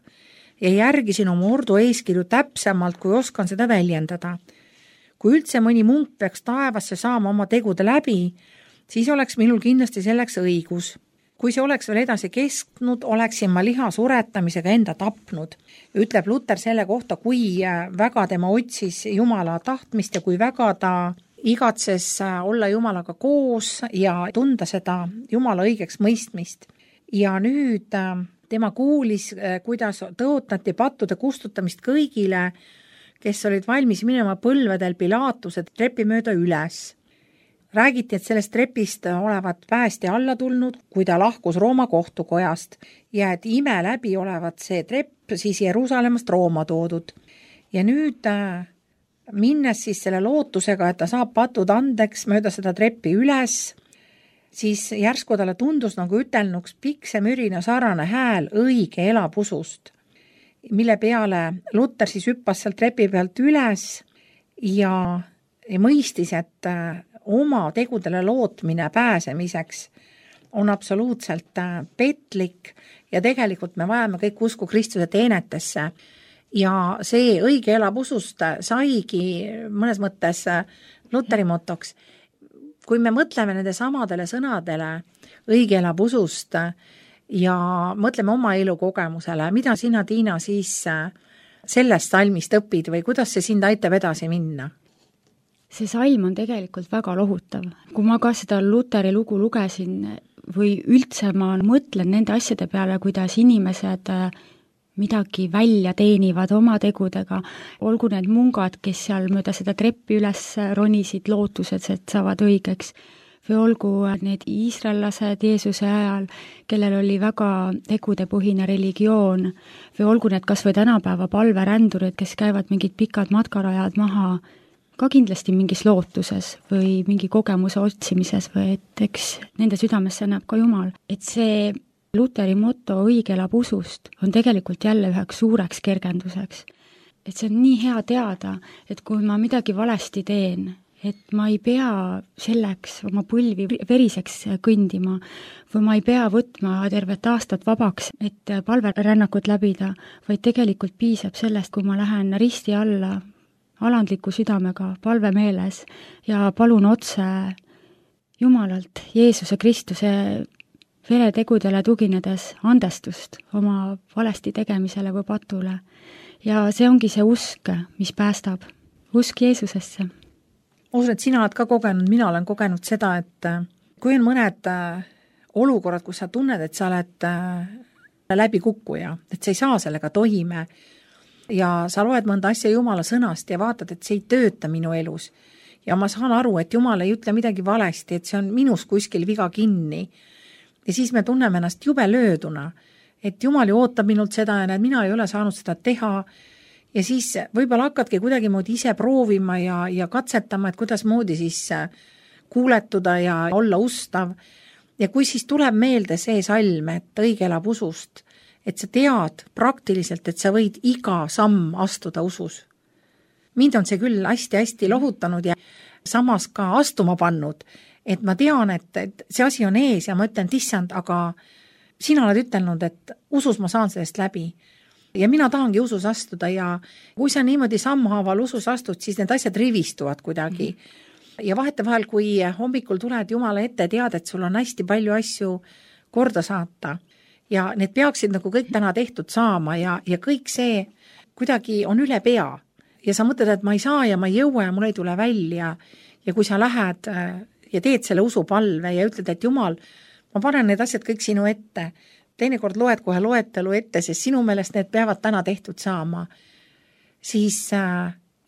ja järgisin oma ordu eeskirju täpsemalt, kui oskan seda väljendada. Kui üldse mõni munk peaks taevasse saama oma tegude läbi, siis oleks minul kindlasti selleks õigus. Kui see oleks veel edasi kestnud, oleksin ma liha suretamisega enda tapnud. Ütleb Lutter selle kohta, kui väga tema otsis Jumala tahtmist ja kui väga ta igatses olla Jumalaga koos ja tunda seda Jumala õigeks mõistmist. Ja nüüd tema kuulis, kuidas tõotati pattude kustutamist kõigile, kes olid valmis minema põlvedel Pilatuse trepi mööda üles. Räägiti, et sellest trepist olevat päästja alla tulnud, kui ta lahkus Rooma kohtukojast ja et ime läbi olevat see trepp siis Jeruusalemmast Rooma toodud. Ja nüüd minnes siis selle lootusega, et ta saab patud andeks mööda seda treppi üles, siis järsku talle tundus nagu ütelnuks piksemürina sarane hääl õige elab usust, mille peale Lutter siis hüppas sealt trepi pealt üles ja mõistis, et oma tegudele lootmine pääsemiseks on absoluutselt petlik ja tegelikult me vajame kõik usku Kristuse teenetesse. Ja see õige elab usust saigi mõnes mõttes Lutteri motoks. Kui me mõtleme nende samadele sõnadele õige elab usust ja mõtleme oma elukogemusele, mida sina, Tiina, siis sellest salmist õpid või kuidas see sind aitab edasi minna? See salm on tegelikult väga lohutav. Kui ma ka seda Lutteri lugu lugesin või üldse ma mõtlen nende asjade peale, kuidas inimesed midagi välja teenivad oma tegudega, olgu need mungad, kes seal mööda seda treppi üles ronisid lootused, et saavad õigeks, või olgu need iisraellased Jeesuse ajal, kellel oli väga tegudepõhine religioon, või olgu need kas või tänapäeva palverändurid, kes käivad mingid pikad matkarajad maha, ka kindlasti mingis lootuses või mingi kogemuse otsimises või et eks nende südamesse näeb ka Jumal. Et see Lutteri moto õige elab usust on tegelikult jälle üheks suureks kergenduseks. Et see on nii hea teada, et kui ma midagi valesti teen, et ma ei pea selleks oma põlvi veriseks kõndima või ma ei pea võtma tervet aastat vabaks, et palverännakut läbida, vaid tegelikult piisab sellest, kui ma lähen risti alla alandliku südamega, palvemeeles ja palun otse Jumalalt, Jeesuse Kristuse veretegudele tuginedes andestust oma valesti tegemisele või patule. Ja see ongi see usk, mis päästab. Usk Jeesusesse. Usun, et sina oled ka kogenud, mina olen kogenud seda, et kui on mõned olukorrad, kus sa tunned, et sa oled läbikukkuja, et sa ei saa sellega toime ja sa loed mõnda asja Jumala sõnast ja vaatad, et see ei tööta minu elus. Ja ma saan aru, et Jumal ei ütle midagi valesti, et see on minus kuskil viga kinni. Ja siis me tunneme ennast jube lööduna, et Jumal ju ootab minult seda ja mina ei ole saanud seda teha. Ja siis võib-olla hakkadki kuidagi moodi ise proovima ja katsetama, et kuidas moodi siis kuuletuda ja olla ustav. Ja kui siis tuleb meelde see salm, et õige elab usust, et sa tead praktiliselt, et sa võid iga samm astuda usus. Mind on see küll hästi-hästi lohutanud ja samas ka astuma pannud, et ma tean, et see asi on ees ja ma ütlen, et issand, aga sina oled ütelnud, et usus ma saan sellest läbi. Ja mina tahangi usus astuda ja kui sa niimoodi sammhaaval usus astud, siis need asjad rivistuvad kuidagi. Ja vahetevahel, kui hommikul tuled Jumala ette, tead, et sul on hästi palju asju korda saata ja need peaksid nagu kõik täna tehtud saama ja kõik see kuidagi on üle pea. Ja sa mõtled, et ma ei saa ja ma ei jõua ja mul ei tule välja. Ja kui sa lähed ja teed selle usupalve ja ütled, et Jumal, ma panen need asjad kõik sinu ette. Teinekord loed kohe loetelu ette, sest sinu meelest need peavad täna tehtud saama. Siis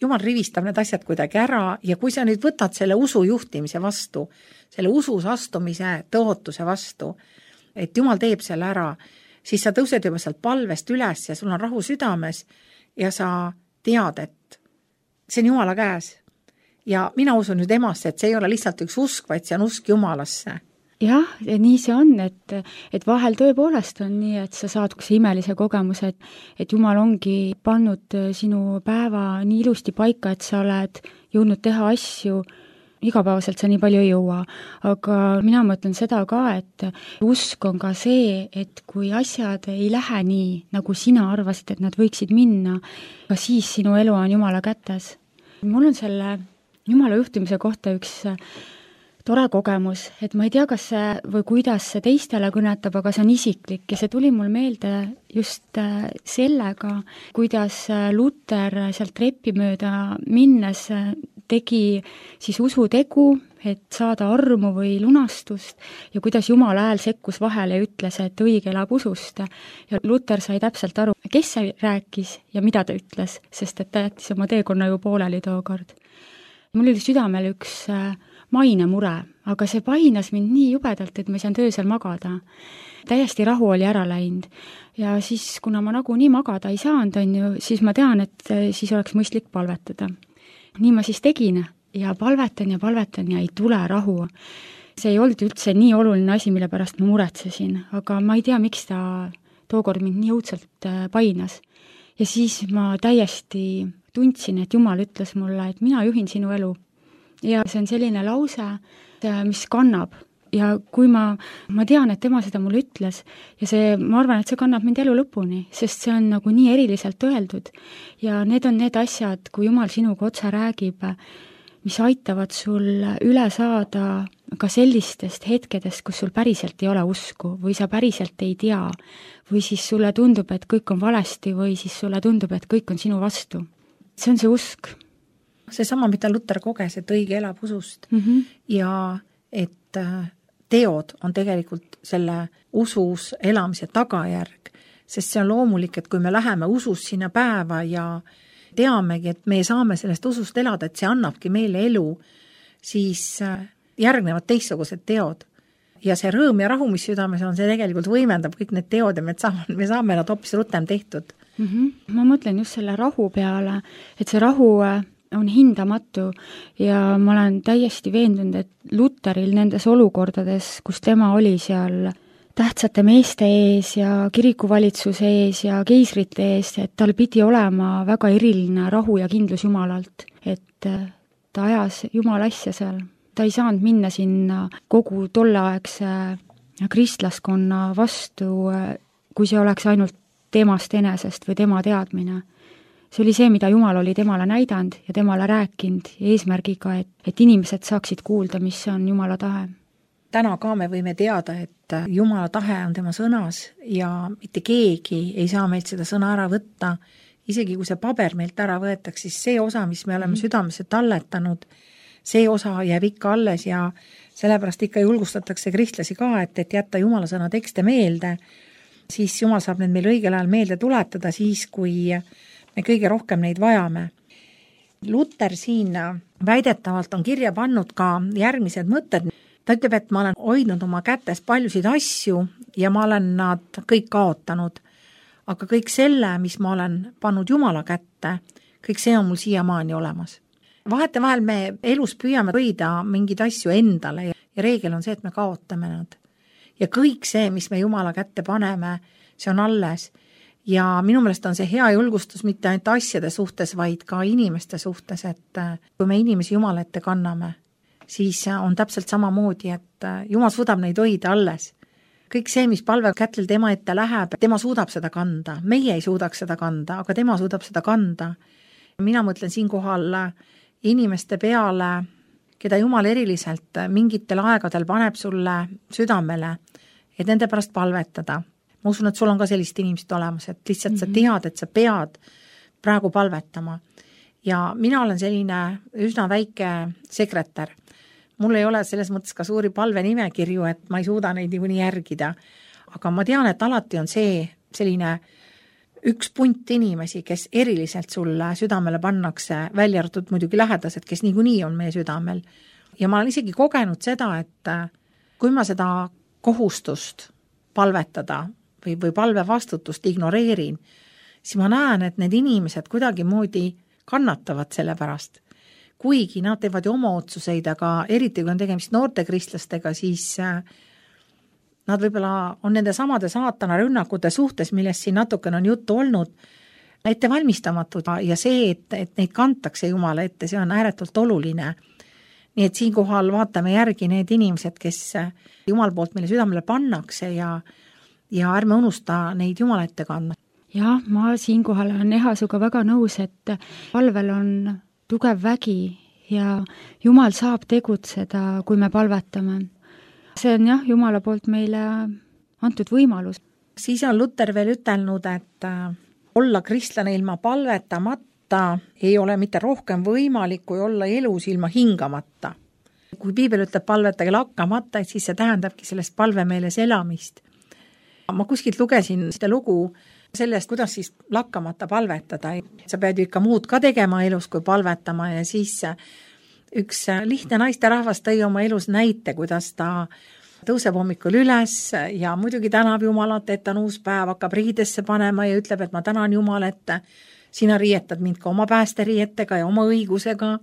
Jumal rivistab need asjad kuidagi ära ja kui sa nüüd võtad selle usu juhtimise vastu, selle usus astumise tõotuse vastu, et Jumal teeb selle ära, siis sa tõused juba sealt palvest üles ja sul on rahu südames ja sa tead, et see on Jumala käes. Ja mina usun nüüd emasse, et see ei ole lihtsalt üks usk, vaid see on usk Jumalasse. Jah, nii see on, et vahel tõepoolest on nii, et sa saad see imelise kogemuse, et Jumal ongi pannud sinu päeva nii ilusti paika, et sa oled jõudnud teha asju, igapäevaselt sa nii palju ei jõua. Aga mina mõtlen seda ka, et usk on ka see, et kui asjad ei lähe nii, nagu sina arvasid, et nad võiksid minna, ka siis sinu elu on Jumala kätes. Mul on selle Jumala juhtimise kohta üks tore kogemus, et ma ei tea, kas see või kuidas see teistele kõnetab, aga see on isiklik ja see tuli mul meelde just sellega, kuidas Luter sealt treppi mööda minnes tegi siis usutegu, et saada armu või lunastust ja kuidas Jumala hääl sekkus vahele ja ütles, et õige elab usust. Ja Luter sai täpselt aru, kes see rääkis ja mida ta ütles, sest et ta jättis oma teekonna ju pooleli tookord. Mul oli südamel üks mainemure, aga see painas mind nii jubedalt, et ma ei saanud öösel magada. Täiesti rahu oli ära läinud. Ja siis, kuna ma nagu nii magada ei saanud, siis ma tean, et siis oleks mõistlik palvetada. Nii ma siis tegin ja palvetan ja ei tule rahu. See ei olnud üldse nii oluline asi, mille pärast ma muretsesin, aga ma ei tea, miks ta tookord mind nii õudselt painas. Ja siis ma täiesti tundsin, et Jumal ütles mulle, et mina juhin sinu elu. Ja see on selline lause, mis kannab. Ja kui ma tean, et tema seda mulle ütles ja ma arvan, et see kannab mind elu lõpuni, sest see on nagu nii eriliselt öeldud. Ja need on need asjad, kui Jumal sinuga otse räägib, mis aitavad sul üle saada ka sellistest hetkedest, kus sul päriselt ei ole usku või sa päriselt ei tea või siis sulle tundub, et kõik on valesti või siis sulle tundub, et kõik on sinu vastu. See on see usk. See sama, mida Luter koges, et õige elab usust ja et teod on tegelikult selle usus elamise tagajärg, sest see on loomulik, et kui me läheme usus sinna päeva ja teamegi, et me saame sellest usust elada, et see annabki meile elu, siis järgnevad teistsugused teod. Ja see rõõm ja rahu, mis südames on, see tegelikult võimendab kõik need teod ja me saame nad hoopis rutem tehtud. Ma mõtlen just selle rahu peale, et see rahu on hindamatu ja ma olen täiesti veendunud, et Luteril nendes olukordades, kus tema oli seal tähtsate meeste ees ja kirikuvalitsuse ees ja keisrite ees, et tal pidi olema väga eriline rahu ja kindlus Jumalalt, et ta ajas Jumala asja seal. Ta ei saanud minna sinna kogu tolleaegse kristlaskonna vastu, kui see oleks ainult temast enesest või tema teadmine. See oli see, mida Jumal oli temale näidanud ja temale rääkinud eesmärgiga, et inimesed saaksid kuulda, mis on Jumala tahe. Täna ka me võime teada, et Jumala tahe on tema sõnas ja mitte keegi ei saa meilt seda sõna ära võtta. Isegi kui see paber meilt ära võetaks, siis see osa, mis me oleme südamesse talletanud, see osa jääb ikka alles ja sellepärast ikka julgustatakse kristlasi ka, et jätta Jumala sõna tekste meelde, siis Jumal saab need meil õigel ajal meelde tuletada siis, kui me kõige rohkem neid vajame. Luter siin väidetavalt on kirja pannud ka järgmised mõtted. Ta ütleb, et ma olen hoidnud oma kätes paljusid asju ja ma olen nad kõik kaotanud. Aga kõik selle, mis ma olen pannud Jumala kätte, kõik see on mul siiamaani olemas. vahetevahel me elus püüame hoida mingeid asju endale ja reegel on see, et me kaotame nad. Ja kõik see, mis me Jumala kätte paneme, see on alles. Ja minu meelest on see hea julgustus mitte ainult asjade suhtes, vaid ka inimeste suhtes, et kui me inimesi Jumala ette kanname, siis on täpselt samamoodi, et Jumal suudab neid hoida alles. Kõik see, mis palve kätlel tema ette läheb, tema suudab seda kanda. Meie ei suudaks seda kanda, aga tema suudab seda kanda. Mina mõtlen siinkohal inimeste peale, keda Jumal eriliselt mingitel aegadel paneb sulle südamele, et nende pärast palvetada. Ma usun, et sul on ka sellist inimest olemas, et lihtsalt sa tead, et sa pead praegu palvetama. Ja mina olen selline üsna väike sekretär. Mul ei ole selles mõttes ka suuri palvenimekirju, et ma ei suuda neid nii järgida. Aga ma tean, et alati on see selline üks punt inimesi, kes eriliselt sulle südamele pannakse, välja arvatud muidugi lähedased, kes niikuinii on meie südamel. Ja ma olen isegi kogenud seda, et kui ma seda kohustust palvetada või palve vastutust ignoreerin, siis ma näen, et need inimesed kuidagi moodi kannatavad selle pärast. Kuigi nad teevad ju oma otsuseid, aga eriti kui on tegemist noorte kristlastega, siis nad võib-olla on nende samade saatana rünnakute suhtes, millest siin natukene on juttu olnud, ette valmistamatud ja see, et neid kantakse Jumala ette, see on ääretult oluline. Nii et siinkohal vaatame järgi need inimesed, kes Jumal poolt meile südamele pannakse ja ärme unusta neid Jumala ette kandma. Jah, ma siinkohal olen Ehasuga väga nõus, et palvel on tugev vägi ja Jumal saab tegutseda, kui me palvetame. See on jah, Jumala poolt meile antud võimalus. Siis on Luter veel ütelnud, et olla kristlane ilma palvetamata ei ole mitte rohkem võimalik, kui olla elus ilma hingamata. Kui piibel ütleb palvetage lakkamata, siis see tähendabki sellest palvemeeles elamist. Ma kuskilt lugesin seda lugu sellest, kuidas siis lakkamata palvetada. Sa pead ju ikka muud ka tegema elus, kui palvetama ja siis üks lihtne naisterahvas tõi oma elus näite, kuidas ta tõuseb hommikul üles ja muidugi tänab Jumalat, et on uus päev, hakkab riidesse panema ja ütleb, et ma tänan Jumal, et sina riietad mind ka oma päästeriietega ja oma õigusega.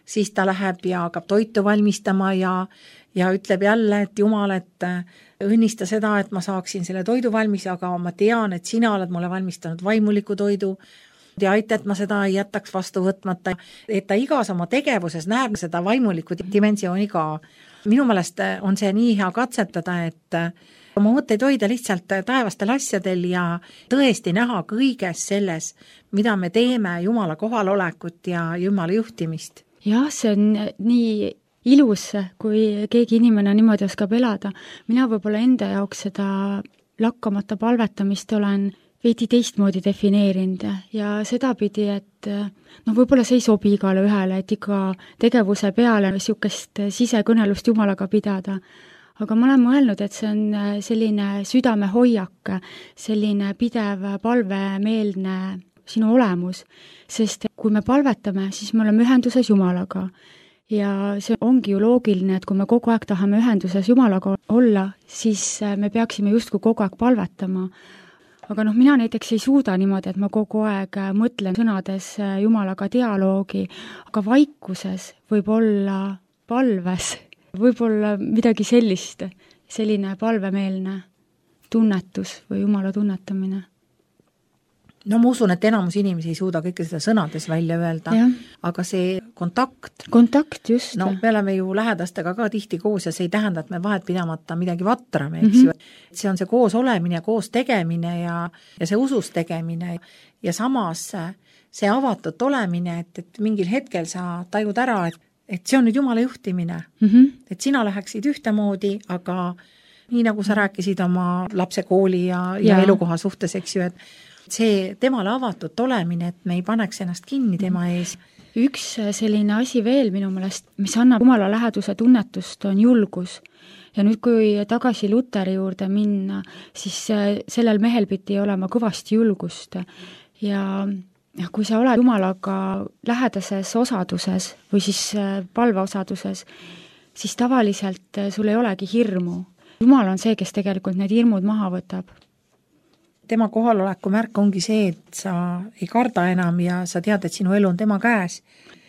Siis ta läheb ja hakkab toitu valmistama ja ütleb jälle, et Jumal, et õnnista seda, et ma saaksin selle toidu valmis, aga ma tean, et sina oled mulle valmistanud vaimuliku toidu ja aita, et ma seda ei jätaks vastu võtmata. Et ta igas oma tegevuses näeb seda vaimuliku dimensiooni ka. Minu meelest on see nii hea katsetada, et oma mõtteid hoida lihtsalt taevastel asjadel ja tõesti näha kõiges selles, mida me teeme, Jumala kohalolekut ja Jumala juhtimist. Jah, see on nii ilus, kui keegi inimene niimoodi oskab elada. Mina võib-olla enda jaoks seda lakkamata palvetamist olen veidi teistmoodi defineerinud ja sedapidi, et võib-olla see ei sobi igale ühele, et ikka tegevuse peale niisugust sisekõnelust Jumalaga pidada. Aga ma olen mõelnud, et see on selline südamehoiak, selline pidev palvemeelne sinu olemus, sest kui me palvetame, siis me oleme ühenduses Jumalaga. Ja see ongi ju loogiline, et kui me kogu aeg tahame ühenduses Jumalaga olla, siis me peaksime justkui kogu aeg palvetama. Aga mina näiteks ei suuda niimoodi, et ma kogu aeg mõtlen sõnades Jumalaga dialoogi, aga vaikuses võib olla palves, võib olla midagi sellist, selline palvemeelne tunnetus või Jumala tunnetamine. No ma usun, et enamus inimesi ei suuda kõike seda sõnades välja öelda, aga see kontakt, just. No me oleme ju lähedastega ka tihti koos ja see ei tähenda, et me vahet pidamata midagi vatrame, eks ju. See on see koos olemine, koos tegemine ja see usus tegemine ja samas see avatud olemine, et mingil hetkel sa tajud ära, et see on nüüd Jumala juhtimine, et sina läheksid ühtemoodi, aga nii nagu sa rääkisid oma lapse kooli ja elukoha suhtes, eks ju, et see temale avatud olemine, et me ei paneks ennast kinni tema ees. Üks selline asi veel minu meelest, mis annab Jumala läheduse tunnetust, on julgus. Ja nüüd, kui tagasi Luteri juurde minna, siis sellel mehel pidi olema kõvasti julgust. Ja kui sa oled Jumalaga lähedases osaduses või siis palveosaduses, siis tavaliselt sul ei olegi hirmu. Jumal on see, kes tegelikult need hirmud maha võtab. Tema kohaloleku märk ongi see, et sa ei karda enam ja sa tead, et sinu elu on tema käes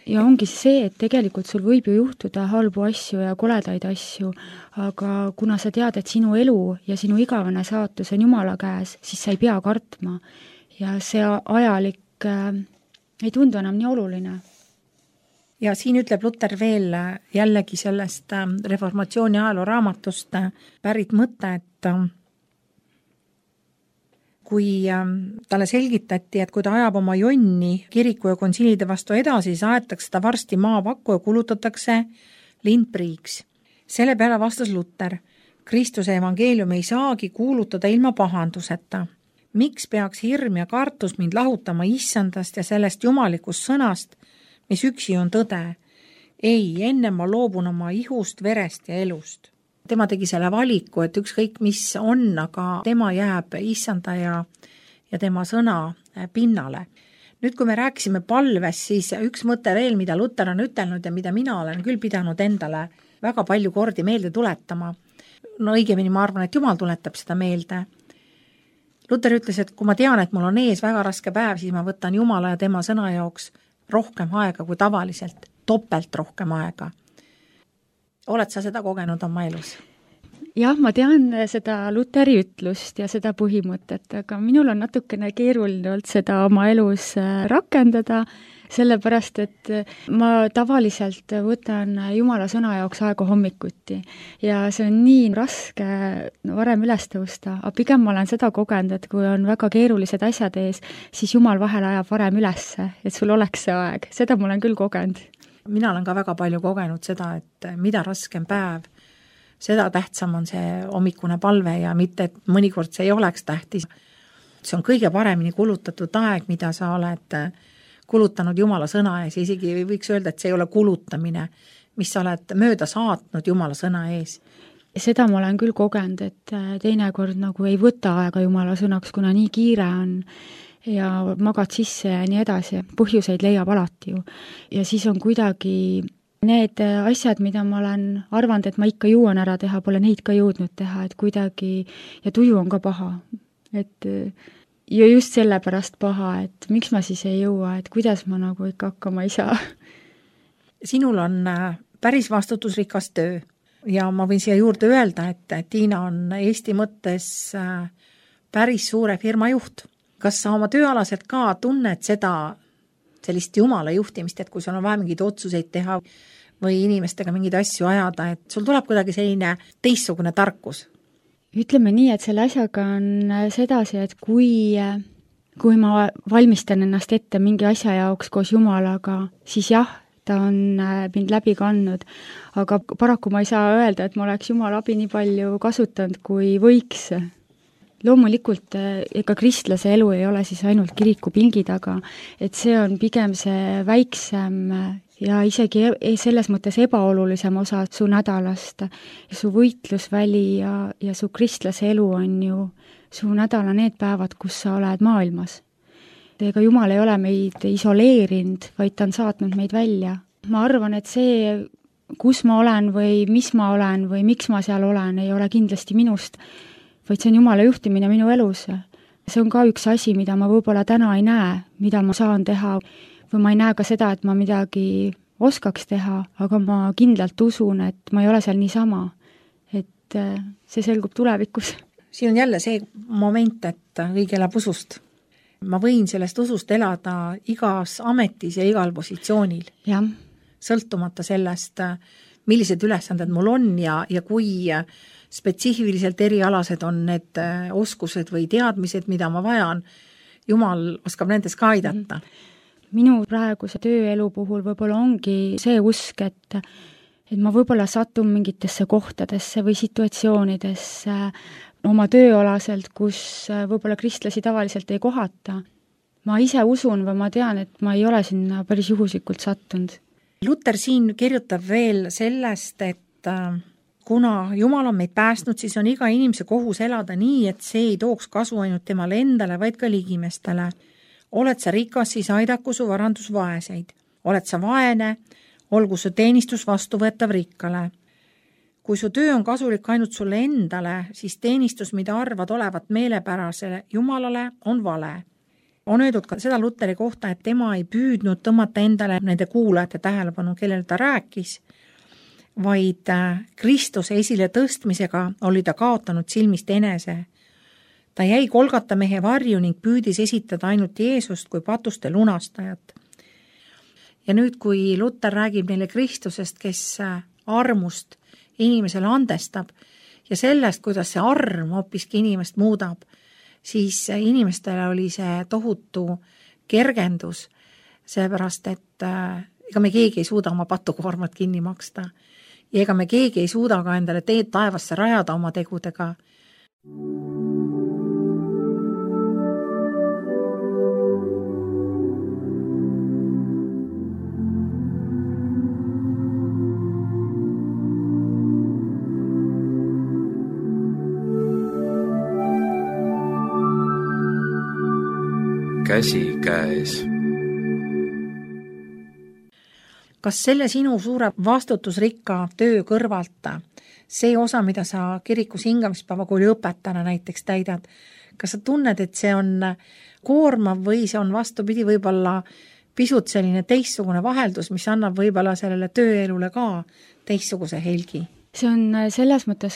ja ongi see, et tegelikult sul võib ju juhtuda halbu asju ja koledaid asju, aga kuna sa tead, et sinu elu ja sinu igavene saatus on Jumala käes, siis sa ei pea kartma. Ja see ajalik ei tundu enam nii oluline. Ja siin ütleb Luter veel jällegi sellest reformatsiooni ajaloo raamatust pärit mõte, et kui talle selgitati, et kui ta ajab oma jonni kiriku ja konsiilide vastu edasi, siis aetakse ta varsti maapakku ja kulutatakse lindpriiks. Selle peale vastas Luter, Kristuse evangeelium ei saagi kuulutada ilma pahanduseta. Miks peaks hirm ja kartus mind lahutama issandast ja sellest jumalikust sõnast, mis üksi on tõde? Ei, enne ma loobun oma ihust, verest ja elust. Tema tegi selle valiku, et ükskõik mis on, aga tema jääb issanda ja tema sõna pinnale. Nüüd, kui me rääkisime palves, siis üks mõte veel, mida Luter on ütelnud ja mida mina olen küll pidanud endale väga palju kordi meelde tuletama. No õigemini ma arvan, et Jumal tuletab seda meelde. Luter ütles, et kui ma tean, et mul on ees väga raske päev, siis ma võtan Jumala ja tema sõna jaoks rohkem aega kui tavaliselt, topelt rohkem aega. Oled sa seda kogenud oma elus? Jah, ma tean seda Luteri ütlust ja seda põhimõtet, aga minul on natukene keeruline olnud seda oma elus rakendada, sellepärast, et ma tavaliselt võtan Jumala sõna jaoks aega hommikuti ja see on nii raske varem üles tõusta, aga pigem ma olen seda kogenud, et kui on väga keerulised asjad ees, siis Jumal vahel ajab varem ülesse, et sul oleks see aeg. Seda ma olen küll kogenud. Mina olen ka väga palju kogenud seda, et mida raskem päev, seda tähtsam on see hommikune palve ja mitte, et mõnikord see ei oleks tähtis. See on kõige paremini kulutatud aeg, mida sa oled kulutanud Jumala sõna ees, isegi võiks öelda, et see ei ole kulutamine, mis sa oled mööda saatnud Jumala sõna ees. Seda ma olen küll kogenud, et teinekord nagu ei võta aega Jumala sõnaks, kuna nii kiire on ja magad sisse ja nii edasi, põhjuseid leiab alati ju. Ja siis on kuidagi need asjad, mida ma olen arvanud, et ma ikka jõuan ära teha, pole neid ka jõudnud teha, et kuidagi, ja tuju on ka paha. Et ja just sellepärast paha, et miks ma siis ei jõua, et kuidas ma nagu ikka hakkama ei saa. Sinul on päris vastutusrikas töö ja ma võin siia juurde öelda, et Tiina on Eesti mõttes päris suure firma juht. Kas sa oma tööalaselt ka tunned seda sellist Jumala juhtimist, et kui sul on vaja mingeid otsuseid teha või inimestega mingeid asju ajada, et sul tuleb kuidagi selline teistsugune tarkus? Ütleme nii, et selle asjaga on sedasi, et kui ma valmistan ennast ette mingi asja jaoks koos Jumalaga, siis jah, ta on mind läbi kandnud, aga paraku ma ei saa öelda, et ma oleks Jumala abi nii palju kasutanud, kui võiks. Loomulikult ega kristlase elu ei ole siis ainult kirikupingi taga, et see on pigem see väiksem ja isegi selles mõttes ebaolulisem osa su nädalast. Su võitlusväli ja su kristlase elu on ju su nädala need päevad, kus sa oled maailmas. Ega Jumal ei ole meid isoleerinud, vaid ta on saatnud meid välja. Ma arvan, et see, kus ma olen või mis ma olen või miks ma seal olen, ei ole kindlasti minust, vaid see on Jumala juhtimine minu elus. See on ka üks asi, mida ma võib-olla täna ei näe, mida ma saan teha, või ma ei näe ka seda, et ma midagi oskaks teha, aga ma kindlalt usun, et ma ei ole seal niisama, et see selgub tulevikus. Siin on jälle see moment, et õige elab usust. Ma võin sellest usust elada igas ametis ja igal positsioonil. Ja. Sõltumata sellest, millised ülesanded mul on ja kui spetsiifiliselt erialased on need oskused või teadmised, mida ma vajan, Jumal oskab nendes ka aidata. Minu praeguse tööelu puhul võib-olla ongi see usk, et ma võib-olla satun mingitesse kohtadesse või situatsioonidesse oma tööalaselt, kus võib-olla kristlasi tavaliselt ei kohata. Ma ise usun või ma tean, et ma ei ole sinna päris juhuslikult sattunud. Luter siin kirjutab veel sellest, et kuna Jumal on meid päästnud, siis on iga inimese kohus elada nii, et see ei tooks kasu ainult temale endale, vaid ka ligimestele. Oled sa rikas, siis aidaku su varandus vaeseid. Oled sa vaene, olgu su teenistus vastuvõetav rikkale. Kui su töö on kasulik ainult sulle endale, siis teenistus, mida arvad olevat meelepärasele Jumalale, on vale. On öeldud ka seda Luteri kohta, et tema ei püüdnud tõmmata endale nende kuulajate tähelepanu, kellele ta rääkis, vaid Kristuse esile tõstmisega oli ta kaotanud silmist enese. Ta jäi Golgata mehe varju ning püüdis esitada ainult Jeesust kui patuste lunastajat. Ja nüüd, kui Luter räägib neile Kristusest, kes armust inimesele andestab ja sellest, kuidas see arm hoopiski inimest muudab, siis inimestele oli see tohutu kergendus, seepärast, et ega me keegi ei suuda oma patukoormat kinni maksta ja ega me keegi ei suuda ka endale teed taevasse rajada oma tegudega. Käsi käes. Kas selle sinu suure vastutusrikka töö kõrvalt, see osa, mida sa kirikus hingamispäevakooli õpetajana näiteks täidad, kas sa tunned, et see on koormav või see on vastupidi võib-olla pisut selline teistsugune vaheldus, mis annab võib-olla sellele tööelule ka teistsuguse helgi? See on selles mõttes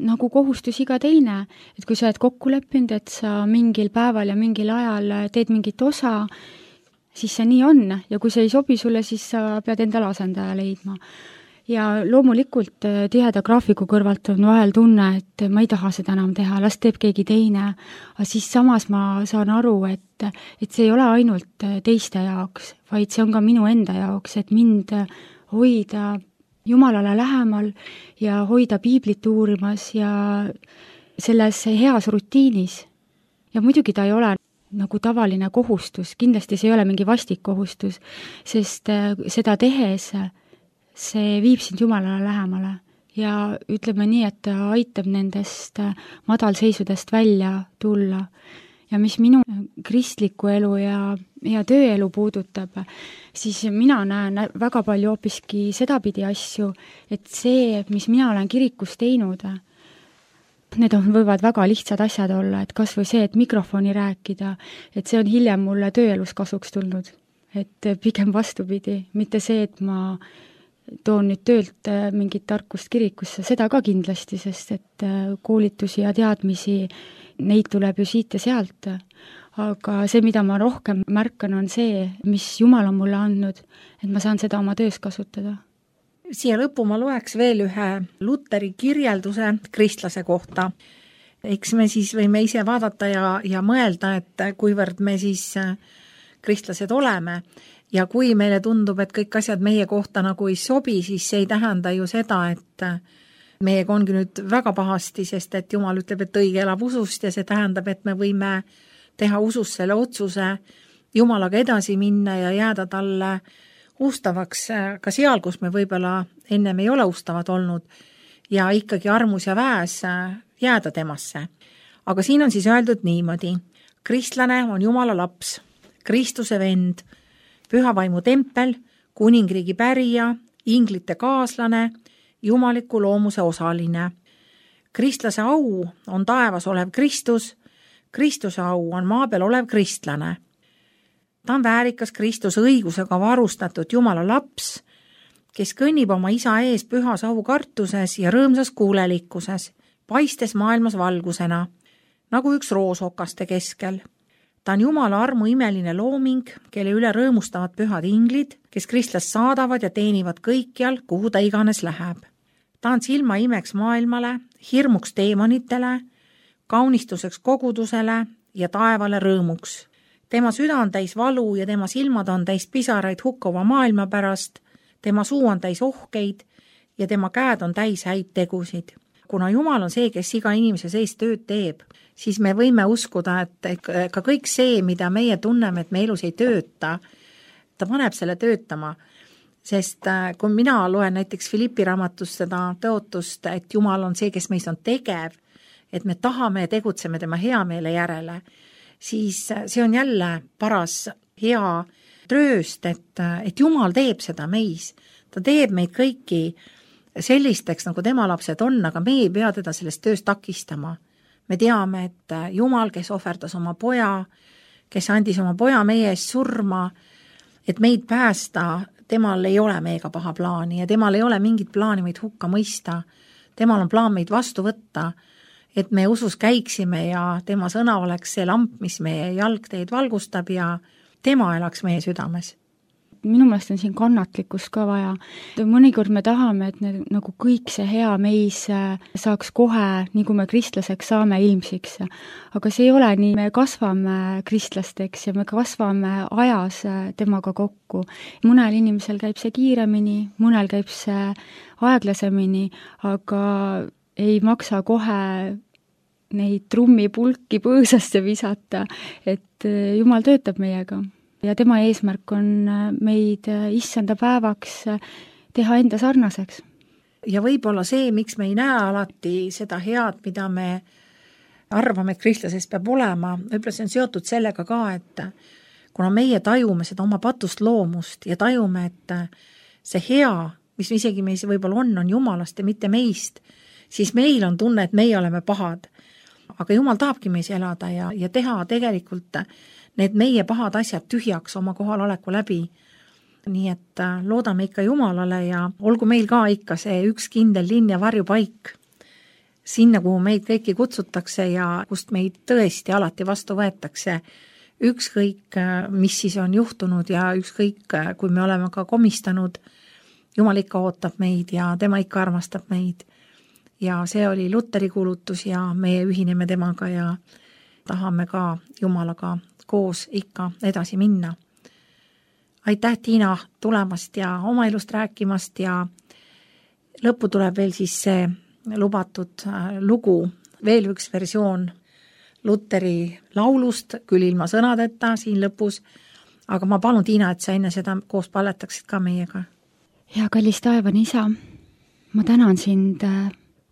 nagu kohustus iga teine, et kui sa oled kokku leppinud, et sa mingil päeval ja mingil ajal teed mingit osa, siis see nii on ja kui see ei sobi sulle, siis sa pead endale asendaja leidma. Ja loomulikult tiheda graafiku kõrvalt on vahel tunne, et ma ei taha seda enam teha, las teeb keegi teine, aga siis samas ma saan aru, et see ei ole ainult teiste jaoks, vaid see on ka minu enda jaoks, et mind hoida Jumalale lähemal ja hoida piiblit uurimas ja selles heas rutiinis. Ja muidugi ta ei ole nagu tavaline kohustus, kindlasti see ei ole mingi vastik kohustus, sest seda tehes see viib sind Jumalale lähemale ja ütleme nii, et ta aitab nendest madalseisudest välja tulla. Ja mis minu kristlikku elu ja tööelu puudutab, siis mina näen väga palju hoopiski sedapidi asju, et see, mis mina olen kirikus teinud, need võivad väga lihtsad asjad olla, et kas või see, et mikrofoni rääkida, et see on hiljem mulle tööelus kasuks tulnud. Et pigem vastupidi, mitte see, et ma toon nüüd töölt mingit tarkust kirikusse, seda ka kindlasti, sest et koolitusi ja teadmisi neid tuleb ju siit ja sealt, aga see, mida ma rohkem märkan, on see, mis Jumal on mulle andnud, et ma saan seda oma töös kasutada. Siia lõppu ma loeks veel ühe Luteri kirjelduse kristlase kohta. Eks me siis võime ise vaadata ja mõelda, et kuivõrd me siis kristlased oleme ja kui meile tundub, et kõik asjad meie kohta nagu ei sobi, siis see ei tähenda ju seda, et meiega ongi nüüd väga pahasti, sest et Jumal ütleb, et õige elab usust ja see tähendab, et me võime teha usus selle otsuse Jumalaga edasi minna ja jääda talle ustavaks ka seal, kus me võib-olla ennem ei ole ustavad olnud ja ikkagi armus ja väes jääda temasse. Aga siin on siis öeldud niimoodi. Kristlane on Jumala laps, Kristuse vend, püha vaimu tempel, kuningriigi pärija, inglite kaaslane, jumaliku loomuse osaline. Kristlase au on taevas olev Kristus, Kristuse au on maa peal olev kristlane. Ta on väärikas Kristuse õigusega varustatud Jumala laps, kes kõnnib oma isa ees pühas aukartuses ja rõõmsas kuulelikkuses, paistes maailmas valgusena, nagu üks roosokaste keskel. Ta on Jumala armu imeline looming, kelle üle rõõmustavad pühad inglid, kes kristlast saadavad ja teenivad kõikjal, kuhu ta iganes läheb. Ta on silma imeks maailmale, hirmuks teemonitele, kaunistuseks kogudusele ja taevale rõõmuks. Tema süda on täis valu ja tema silmad on täis pisaraid hukkuva maailma pärast, tema suu on täis ohkeid ja tema käed on täis häid tegusid. Kuna Jumal on see, kes iga inimese sees tööd teeb, siis me võime uskuda, et ka kõik see, mida meie tunneme, et me elus ei tööta, ta paneb selle töötama. Sest kui mina loen näiteks Filippi raamatust seda tõotust, et Jumal on see, kes meis on tegev, et me tahame ja tegutseme tema hea meele järele, siis see on jälle paras hea trööst, et Jumal teeb seda meis. Ta teeb meid kõiki sellisteks, nagu tema lapsed on, aga me ei pea teda sellest tööst takistama. Me teame, et Jumal, kes ohverdas oma poja, kes andis oma poja meie eest surma, et meid päästa, temal ei ole meiega paha plaani ja temal ei ole mingit plaani meid hukka mõista. Temal on plaan meid vastu võtta, et me usus käiksime ja tema sõna oleks see lamp, mis meie jalgteed valgustab ja tema elaks meie südames. Minu meelest on siin kannatlikkust ka vaja. Mõnikord me tahame, et nagu kõik see hea meis saaks kohe, nii kui me kristlaseks saame, ilmsiks. Aga see ei ole nii, me kasvame kristlasteks ja me kasvame ajas temaga kokku. Mõnel inimesel käib see kiiremini, mõnel käib see aeglasemini, aga ei maksa kohe neid trummipulki põõsasse visata, et Jumal töötab meiega. Ja tema eesmärk on meid issanda päevaks teha enda sarnaseks. Ja võib-olla see, miks me ei näe alati seda head, mida me arvame, et kristlasest peab olema, võib-olla see on seotud sellega ka, et kuna meie tajume seda oma patust loomust ja tajume, et see hea, mis isegi meis võib-olla on Jumalast ja mitte meist, siis meil on tunne, et meie oleme pahad. Aga Jumal tahabki meis elada ja teha tegelikult need meie pahad asjad tühjaks oma kohaloleku läbi. Nii et loodame ikka Jumalale ja olgu meil ka ikka see üks kindel linn ja varjupaik. Sinna, kuhu meid kõiki kutsutakse ja kust meid tõesti alati vastu võetakse. Ükskõik, mis siis on juhtunud ja ükskõik, kui me oleme ka komistanud, Jumal ikka ootab meid ja tema ikka armastab meid. Ja see oli Luteri kuulutus ja meie ühineme temaga ja tahame ka Jumalaga koos ikka edasi minna. Aitäh, Tiina, tulemast ja oma elust rääkimast ja lõppu tuleb veel siis see lubatud lugu, veel üks versioon Luteri laulust, küll ilma sõnadeta siin lõpus, aga ma palun, Tiina, et sa enne seda koos palletaksid ka meiega. Ja kallis taevane isa, ma tänan sind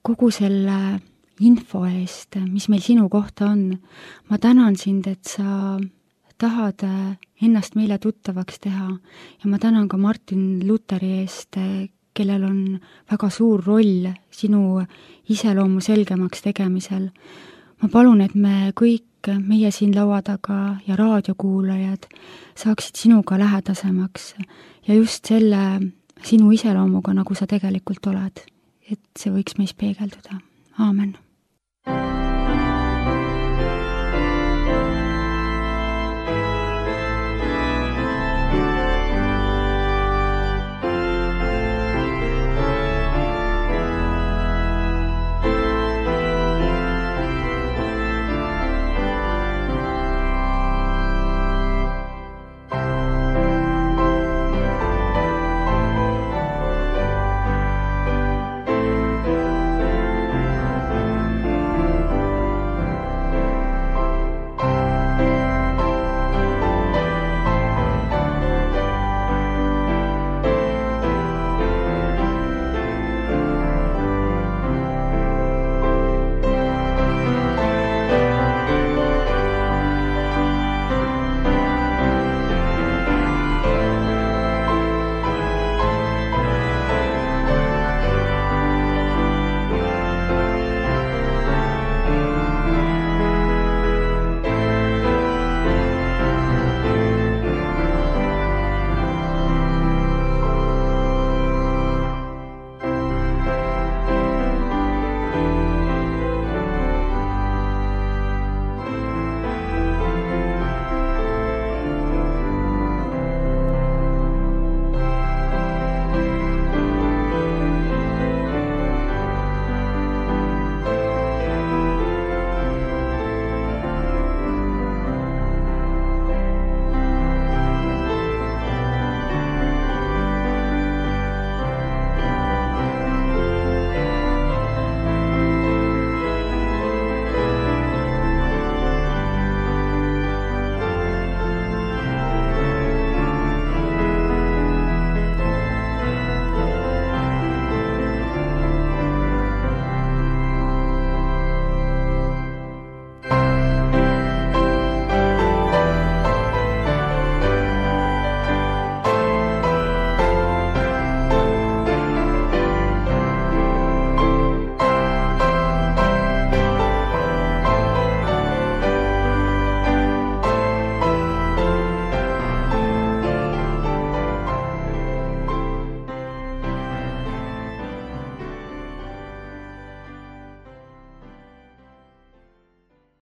kogu selle info eest, mis meil sinu kohta on. Ma tänan sind, et sa tahad ennast meile tuttavaks teha ja ma tänan ka Martin Luteri eest, kellel on väga suur roll sinu iseloomu selgemaks tegemisel. Ma palun, et me kõik, meie siin laua taga ja raadiokuulajad saaksid sinuga lähedasemaks ja just selle sinu iseloomuga, nagu sa tegelikult oled, et see võiks meis peegelduda. Aamen.